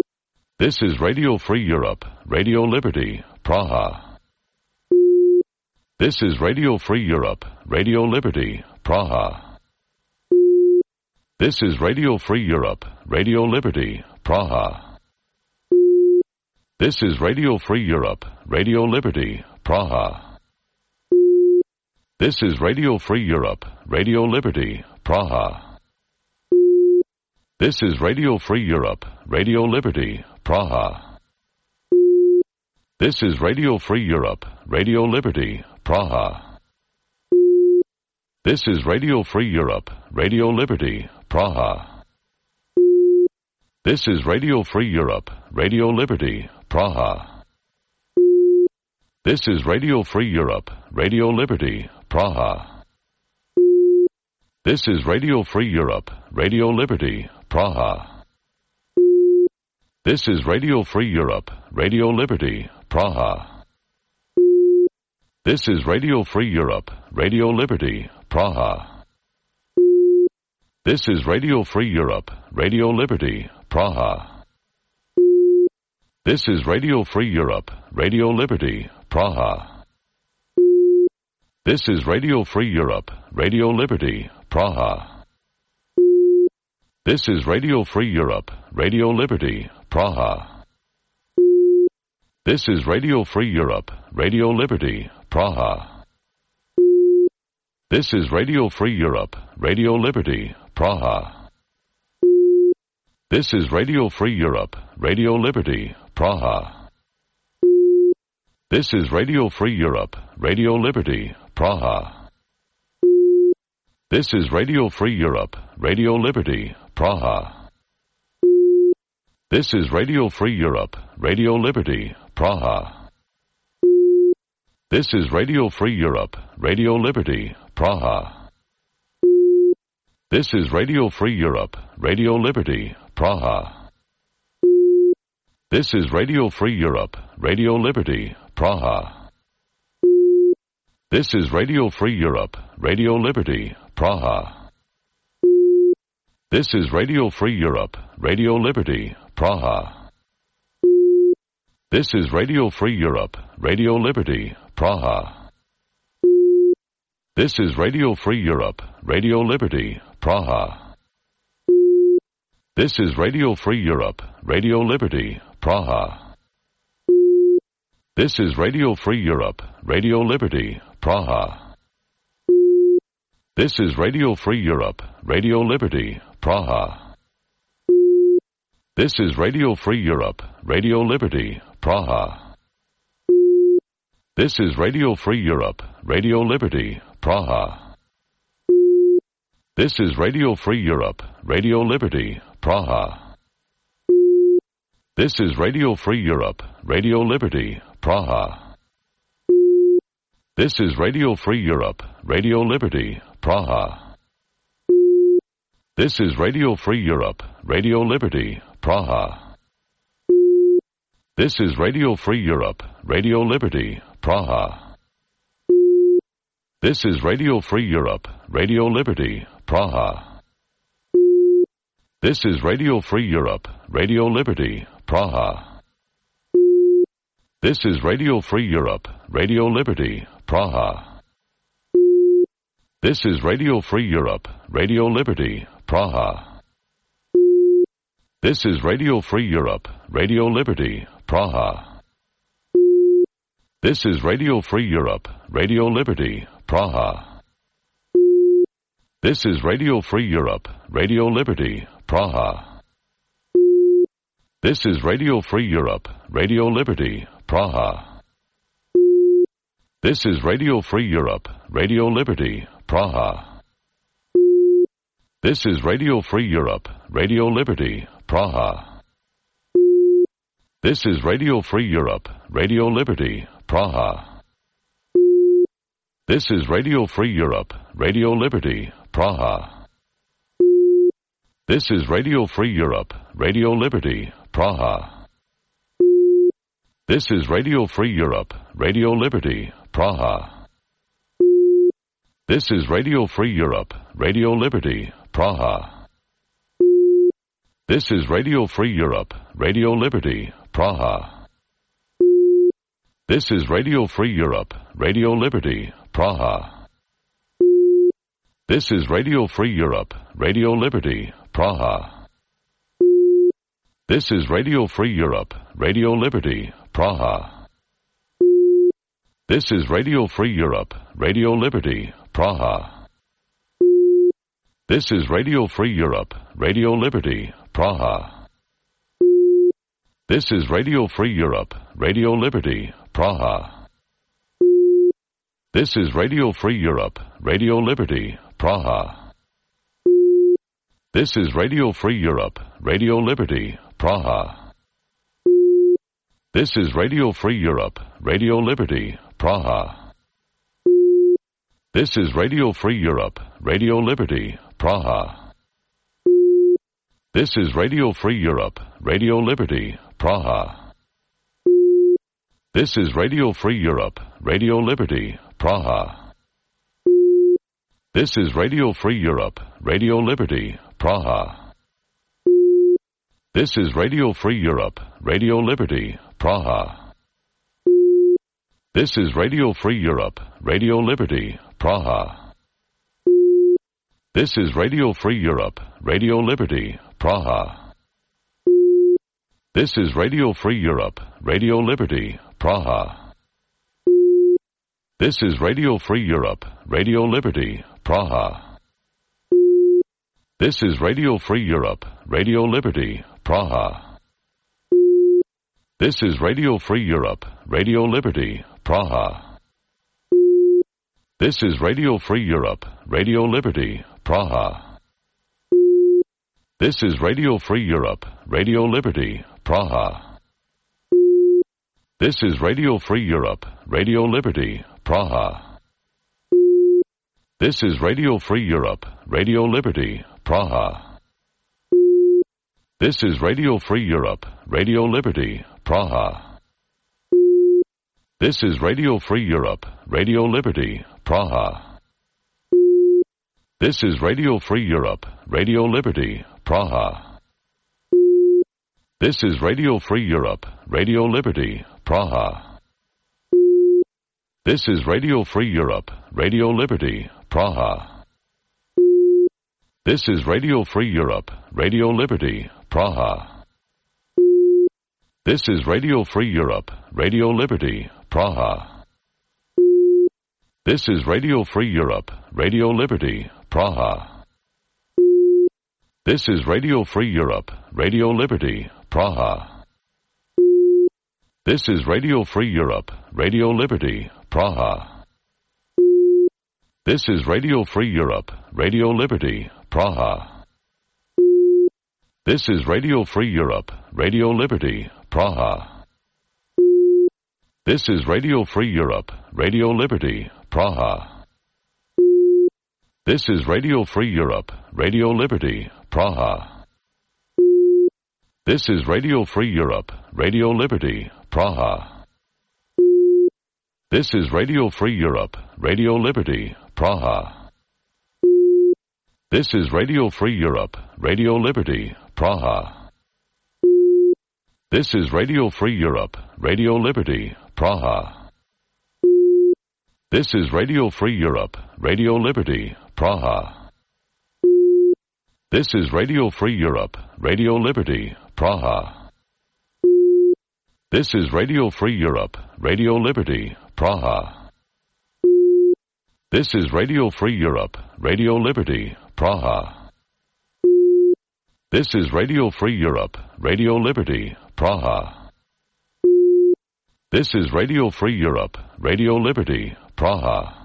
This is Radio Free Europe, Radio Liberty, Praha. This is Radio Free Europe, Radio Liberty, Praha. This is Radio Free Europe, Radio Liberty, Praha. This is Radio Free Europe, Radio Liberty, Praha. This is Radio Free Europe, Radio Liberty, Praha. This is Radio Free Europe, Radio Liberty, Praha. This is Radio Free Europe, Radio Liberty, Praha. This is Radio Free Europe, Radio Liberty, Praha. This is Radio Free Europe, Radio Liberty, Praha. This is Radio Free Europe, Radio Liberty, Praha. This is Radio Free Europe, Radio Liberty, Praha. This is Radio Free Europe, Radio Liberty, Praha. This is Radio Free Europe, Radio Liberty, Praha. This is Radio Free Europe, Radio Liberty, Praha. This is Radio Free Europe, Radio Liberty, Praha. This is Radio Free Europe, Radio Liberty, Praha. This is Radio Free Europe, Radio Liberty, Praha. This is Radio Free Europe, Radio Liberty, Praha. This is Radio Free Europe, Radio Liberty, Praha. This is Radio Free Europe, Radio Liberty, Praha. This is Radio Free Europe, Radio Liberty, Praha. This is Radio Free Europe, Radio Liberty, Praha. This is Radio Free Europe, Radio Liberty, Praha. This is Radio Free Europe, Radio Liberty, Praha. This is Radio Free Europe, Radio Liberty, Praha. This is Radio Free Europe, Radio Liberty, Praha. This is Radio Free Europe, Radio Liberty, Praha. This is Radio Free Europe, Radio Liberty, Praha. This is Radio Free Europe, Radio Liberty, Praha. This is Radio Free Europe, Radio Liberty, Praha. This is Radio Free Europe, Radio Liberty, Praha. This is Radio Free Europe, Radio Liberty, Praha. This is Radio Free Europe, Radio Liberty, Praha. This is Radio Free Europe, Radio Liberty, Praha. This is Radio Free Europe, Radio Liberty, Praha. This is Radio Free Europe, Radio Liberty, Praha. This is Radio Free Europe, Radio Liberty, Praha. This is Radio Free Europe, Radio Liberty, Praha. This is Radio Free Europe, Radio Liberty, Praha. This is Radio Free Europe, Radio Liberty, Praha. This is Radio Free Europe, Radio Liberty, Praha. This is Radio Free Europe, Radio Liberty, Praha. This is Radio Free Europe, Radio Liberty, Praha. This is Radio Free Europe, Radio Liberty, Praha. This is Radio Free Europe, Radio Liberty, Praha. This is Radio Free Europe, Radio Liberty, Praha. This is Radio Free Europe, Radio Liberty, Praha. This is Radio Free Europe, Radio Liberty, Praha. This is Radio Free Europe, Radio Liberty, Praha. This is Radio Free Europe, Radio Liberty, Praha. This is Radio Free Europe, Radio Liberty, Praha. This is Radio Free Europe, Radio Liberty, Praha. This is Radio Free Europe, Radio Liberty, Praha. This is Radio Free Europe, Radio Liberty, Praha. This is Radio Free Europe, Radio Liberty, Praha. This is Radio Free Europe, Radio Liberty, Praha. This is Radio Free Europe, Radio Liberty, Praha. This is Radio Free Europe, Radio Liberty, Praha. This is Radio Free Europe, Radio Liberty, Praha. This is Radio Free Europe, Radio Liberty, Praha. This is Radio Free Europe, Radio Liberty, Praha. This is Radio Free Europe, Radio Liberty, Praha. This is Radio Free Europe, Radio Liberty, Praha. This is Radio Free Europe, Radio Liberty, Praha. This is Radio Free Europe, Radio Liberty, Praha. This is Radio Free Europe, Radio Liberty, Praha. This is Radio Free Europe, Radio Liberty, Praha. This is Radio Free Europe, Radio Liberty, Praha. This is Radio Free Europe, Radio Liberty, Praha. This is Radio Free Europe, Radio Liberty, Praha. This is Radio Free Europe, Radio Liberty, Praha. This is Radio Free Europe, Radio Liberty, Praha. This is Radio Free Europe, Radio Liberty, Praha. This is Radio Free Europe, Radio Liberty, Praha. This is Radio Free Europe, Radio Liberty, Praha. This is Radio Free Europe, Radio Liberty, Praha. This is Radio Free Europe, Radio Liberty, Praha. This is Radio Free Europe, Radio Liberty, Praha. This is Radio Free Europe, Radio Liberty, Praha. This is Radio Free Europe, Radio Liberty, Praha. This is Radio Free Europe, Radio Liberty, Praha. This is Radio Free Europe, Radio Liberty, Praha. This is Radio Free Europe, Radio Liberty, Praha. This is Radio Free Europe, Radio Liberty, Praha. This is Radio Free Europe, Radio Liberty, Praha. This is Radio Free Europe, Radio Liberty, Praha. This is Radio Free Europe, Radio Liberty, Praha. This is Radio Free Europe, Radio Liberty, Praha. This is Radio Free Europe, Radio Liberty, Praha. This is Radio Free Europe, Radio Liberty, Praha. This is Radio Free Europe, Radio Liberty, Praha. This is Radio Free Europe, Radio Liberty, Praha. This is Radio Free Europe, Radio Liberty, Praha. This is Radio Free Europe, Radio Liberty, Praha. This is Radio Free Europe, Radio Liberty, Praha. This is Radio Free Europe, Radio Liberty, Praha. This is Radio Free Europe, Radio Liberty, Praha. This is Radio Free Europe, Radio Liberty, Praha. This is Radio Free Europe, Radio Liberty, Praha. This is Radio Free Europe, Radio Liberty, Praha. This is Radio Free Europe, Radio Liberty, Praha. This is Radio Free Europe, Radio Liberty, Praha. This is Radio Free Europe, Radio Liberty, Praha. This is Radio Free Europe, Radio Liberty, Praha.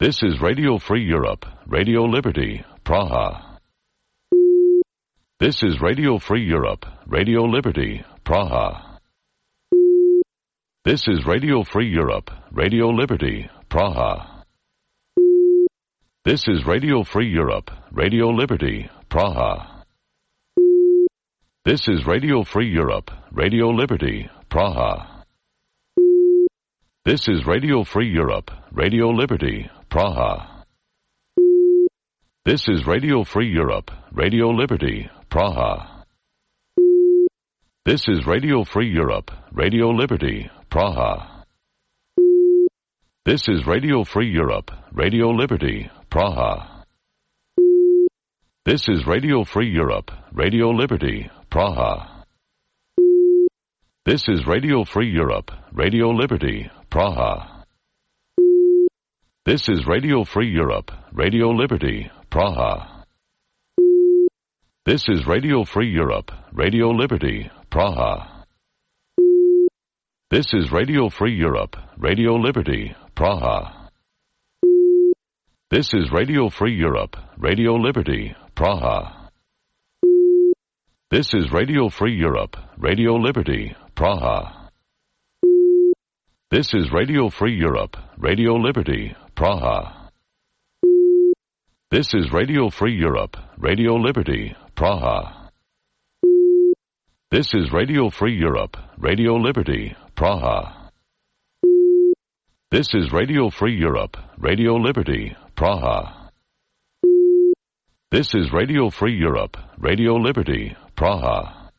This is Radio Free Europe, Radio Liberty, Praha. This is Radio Free Europe, Radio Liberty, Praha. This is Radio Free Europe, Radio Liberty, Praha. This is Radio Free Europe, Radio Liberty, Praha. This is Radio Free Europe, Radio Liberty, Praha. This is Radio Free Europe, Radio Liberty, Praha. This is Radio Free Europe, Radio Liberty, Praha. This is Radio Free Europe, Radio Liberty, Praha. This is Radio Free Europe, Radio Liberty, Praha. This is Radio Free Europe, Radio Liberty, Praha. This is Radio Free Europe, Radio Liberty, Praha. This is Radio Free Europe, Radio Liberty, Praha. This is Radio Free Europe, Radio Liberty, Praha. This is Radio Free Europe, Radio Liberty, Praha. This is Radio Free Europe, Radio Liberty, Praha. This is Radio Free Europe, Radio Liberty, Praha. This is Radio Free Europe, Radio Liberty, Praha. This is Radio Free Europe, Radio Liberty, Praha. This is Radio Free Europe, Radio Liberty, Praha. This is Radio Free Europe, Radio Liberty, Praha. This is Radio Free Europe, Radio Liberty, Praha.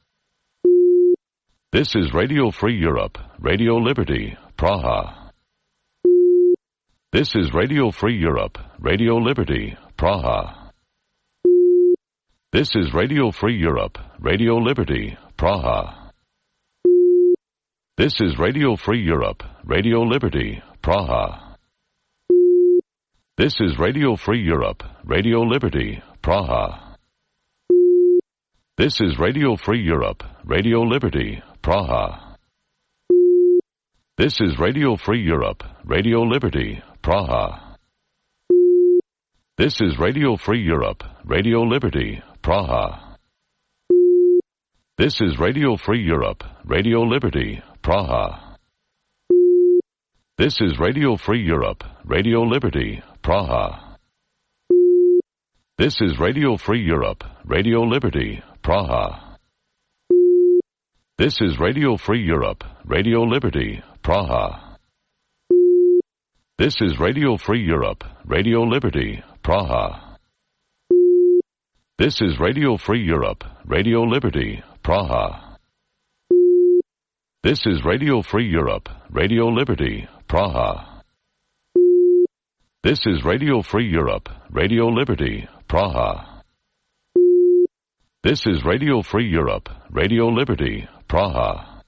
This is Radio Free Europe, Radio Liberty, Praha. This is Radio Free Europe, Radio Liberty, Praha. This is Radio Free Europe, Radio Liberty, Praha. This is Radio Free Europe, Radio Liberty, Praha. This is Radio Free Europe, Radio Liberty, Praha. This is Radio Free Europe, Radio Liberty, Praha. This is Radio Free Europe, Radio Liberty, Praha. This is Radio Free Europe, Radio Liberty, Praha. This is Radio Free Europe, Radio Liberty, Praha. This is Radio Free Europe, Radio Liberty, Praha. This is Radio Free Europe, Radio Liberty, Praha. This is Radio Free Europe, Radio Liberty, Praha. This is Radio Free Europe, Radio Liberty, Praha. This is Radio Free Europe, Radio Liberty, Praha. This is Radio Free Europe, Radio Liberty, Praha. This is Radio Free Europe, Radio Liberty, Praha. This is Radio Free Europe, Radio Liberty, Praha.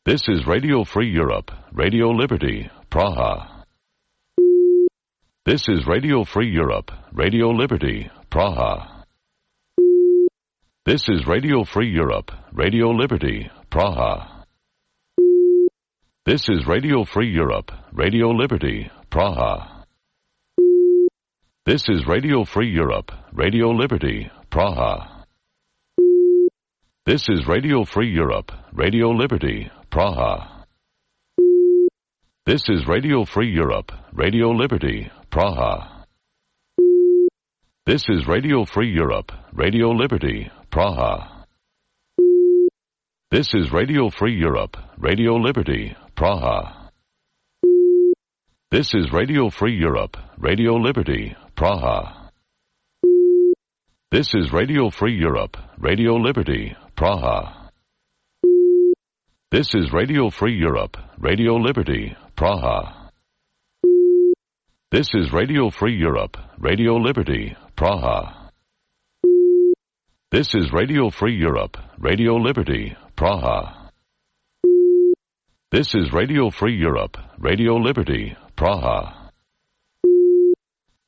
This is Radio Free Europe, Radio Liberty, Praha. This is Radio Free Europe, Radio Liberty, Praha. This is Radio Free Europe, Radio Liberty, Praha. This is Radio Free Europe, Radio Liberty, Praha. This is Radio Free Europe, Radio Liberty, Praha. This is Radio Free Europe, Radio Liberty, Praha. This is Radio Free Europe, Radio Liberty, Praha. This is Radio Free Europe, Radio Liberty, Praha. This is Radio Free Europe, Radio Liberty, Praha. This is Radio Free Europe, Radio Liberty, Praha. This is Radio Free Europe, Radio Liberty, Praha. This is Radio Free Europe, Radio Liberty, Praha. This is Radio Free Europe, Radio Liberty, Praha. This is Radio Free Europe, Radio Liberty, Praha. This is Radio Free Europe, Radio Liberty, Praha.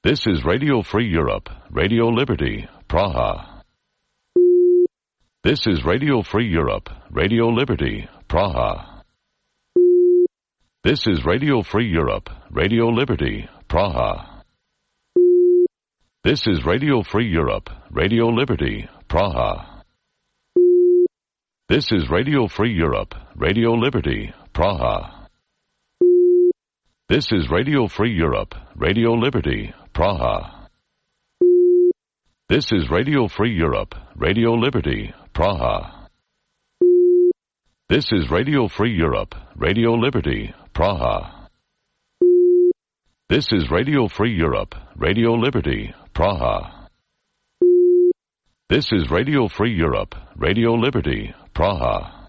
This is Radio Free Europe, Radio Liberty, Praha. This is Radio Free Europe, Radio Liberty, Praha. This is Radio Free Europe, Radio Liberty, Praha. This is Radio Free Europe, Radio Liberty, Praha. This is Radio Free Europe, Radio Liberty, Praha. This is Radio Free Europe, Radio Liberty, Praha. This is Radio Free Europe, Radio Liberty, Praha. This is Radio Free Europe, Radio Liberty, Praha. This is Radio Free Europe, Radio Liberty, Praha. This is Radio Free Europe, Radio Liberty, Praha.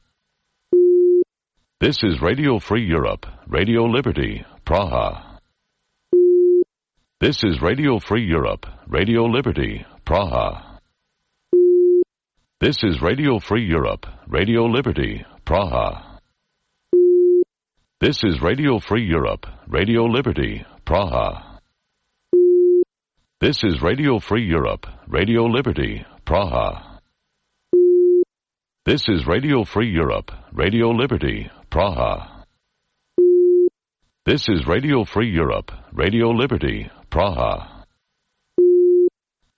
This is Radio Free Europe, Radio Liberty, Praha. This is Radio Free Europe, Radio Liberty, Praha. This is Radio Free Europe, Radio Liberty, Praha. This is Radio Free Europe, Radio Liberty, Praha. This is Radio Free Europe, Radio Liberty, Praha. This is Radio Free Europe, Radio Liberty, Praha. This is Radio Free Europe, Radio Liberty, Praha.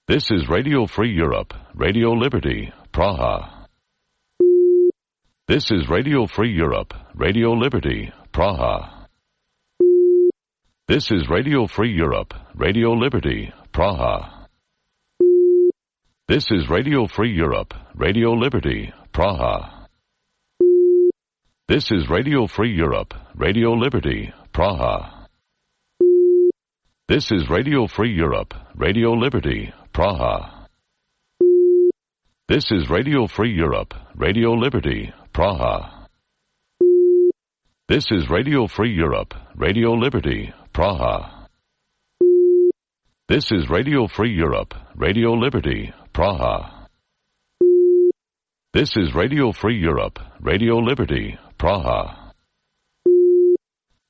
This is Radio Free Europe, Radio Liberty, Praha. This is Radio Free Europe, Radio Liberty, Praha. This is Radio Free Europe, Radio Liberty, Praha. This is Radio Free Europe, Radio Liberty, Praha. This is Radio Free Europe, Radio Liberty, Praha. This is Radio Free Europe, Radio Liberty, Praha. This is Radio Free Europe, Radio Liberty, Praha. This is Radio Free Europe, Radio Liberty, Praha. This is Radio Free Europe, Radio Liberty, Praha. This is Radio Free Europe, Radio Liberty, Praha.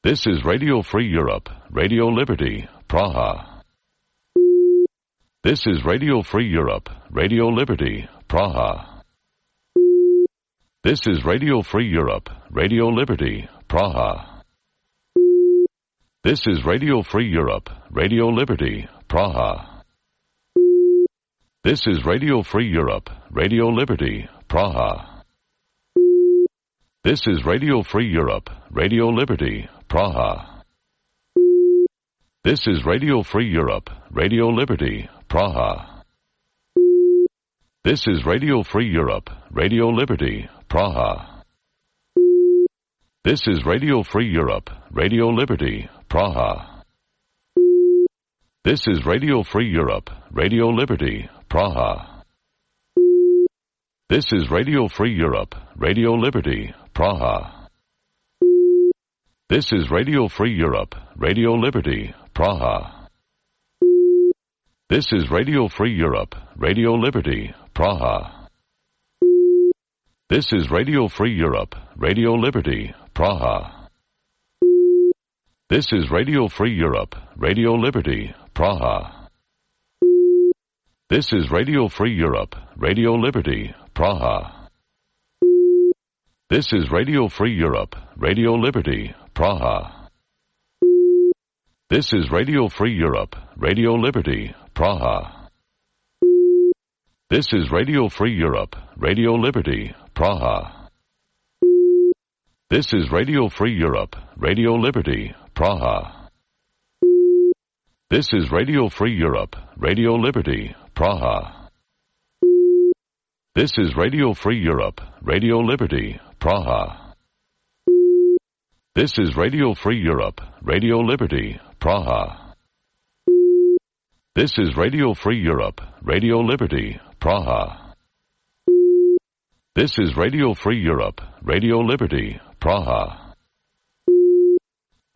This is Radio Free Europe, Radio Liberty, Praha. This is Radio Free Europe, Radio Liberty, Praha. This is Radio Free Europe, Radio Liberty, Praha. This is Radio Free Europe, Radio Liberty, Praha. This is Radio Free Europe, Radio Liberty, Praha. This is Radio Free Europe, Radio Liberty, Praha. This is Radio Free Europe, Radio Liberty, Praha. This is Radio Free Europe, Radio Liberty, Praha. This is Radio Free Europe, Radio Liberty, Praha. This is Radio Free Europe, Radio Liberty, Praha. This is Radio Free Europe, Radio Liberty, Praha. This is Radio Free Europe, Radio Liberty, Praha. This is Radio Free Europe, Radio Liberty, Praha. This is Radio Free Europe, Radio Liberty, Praha. This is Radio Free Europe, Radio Liberty, Praha. This is Radio Free Europe, Radio Liberty, Praha. This is Radio Free Europe, Radio Liberty, Praha. This is Radio Free Europe, Radio Liberty, Praha. This is Radio Free Europe, Radio Liberty, Praha. This is Radio Free Europe, Radio Liberty, Praha. This is Radio Free Europe, Radio Liberty, Praha. This is Radio Free Europe, Radio Liberty, Praha. This is Radio Free Europe, Radio Liberty, Praha. This is Radio Free Europe, Radio Liberty, Praha. This is Radio Free Europe, Radio Liberty, Praha.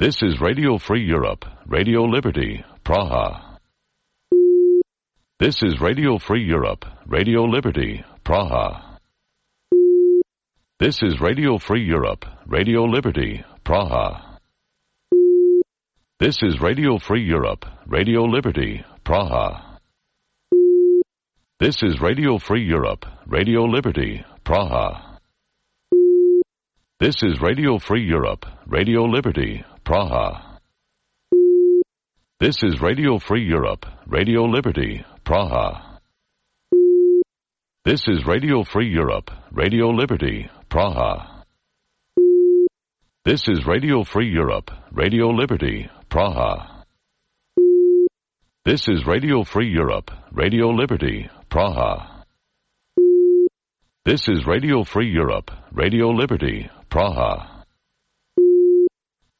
This is Radio Free Europe, Radio Liberty, Praha. This is Radio Free Europe, Radio Liberty, Praha. This is Radio Free Europe, Radio Liberty, Praha. This is Radio Free Europe, Radio Liberty, Praha. This is Radio Free Europe, Radio Liberty, Praha. This is Radio Free Europe, Radio Liberty, Praha. This is Radio Free Europe, Radio Liberty, Praha. This is Radio Free Europe, Radio Liberty, Praha. This is Radio Free Europe, Radio Liberty, Praha. This is Radio Free Europe, Radio Liberty, Praha. This is Radio Free Europe, Radio Liberty, Praha.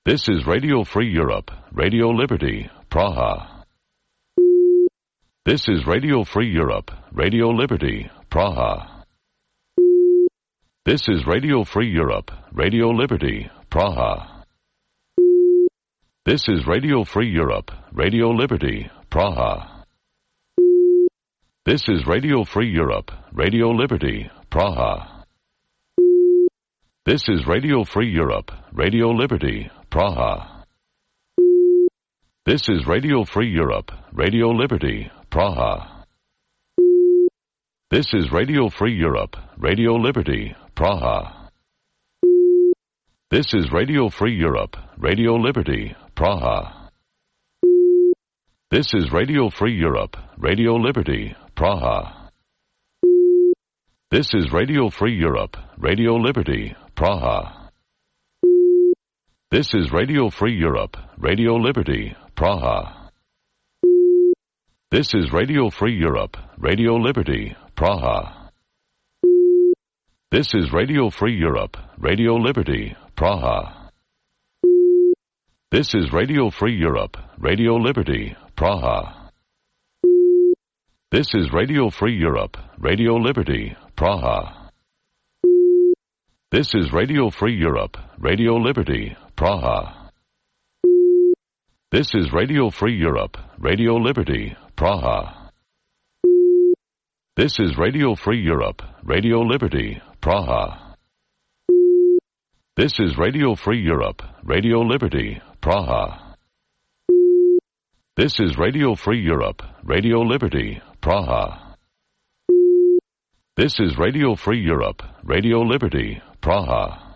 This is Radio Free Europe, Radio Liberty, Praha. This is Radio Free Europe, Radio Liberty, Praha. This is Radio Free Europe, Radio Liberty, Praha. This is Radio Free Europe, Radio Liberty, Praha. This is Radio Free Europe, Radio Liberty, Praha. This is Radio Free Europe, Radio Liberty, Praha. This is Radio Free Europe, Radio Liberty, Praha. This is Radio Free Europe, Radio Liberty, Praha. This is Radio Free Europe, Radio Liberty, Praha. This is Radio Free Europe, Radio Liberty, Praha. This is Radio Free Europe, Radio Liberty, Praha. This is Radio Free Europe, Radio Liberty, Praha. This is Radio Free Europe, Radio Liberty, Praha. This is Radio Free Europe, Radio Liberty, Praha. This is Radio Free Europe, Radio Liberty, Praha. This is Radio Free Europe, Radio Liberty, Praha. This is Radio Free Europe, Radio Liberty, Praha. This is Radio Free Europe, Radio Liberty, Praha. This is Radio Free Europe, Radio Liberty, Praha. This is Radio Free Europe, Radio Liberty, Praha. This is Radio Free Europe, Radio Liberty, Praha. This is Radio Free Europe, Radio Liberty, Praha.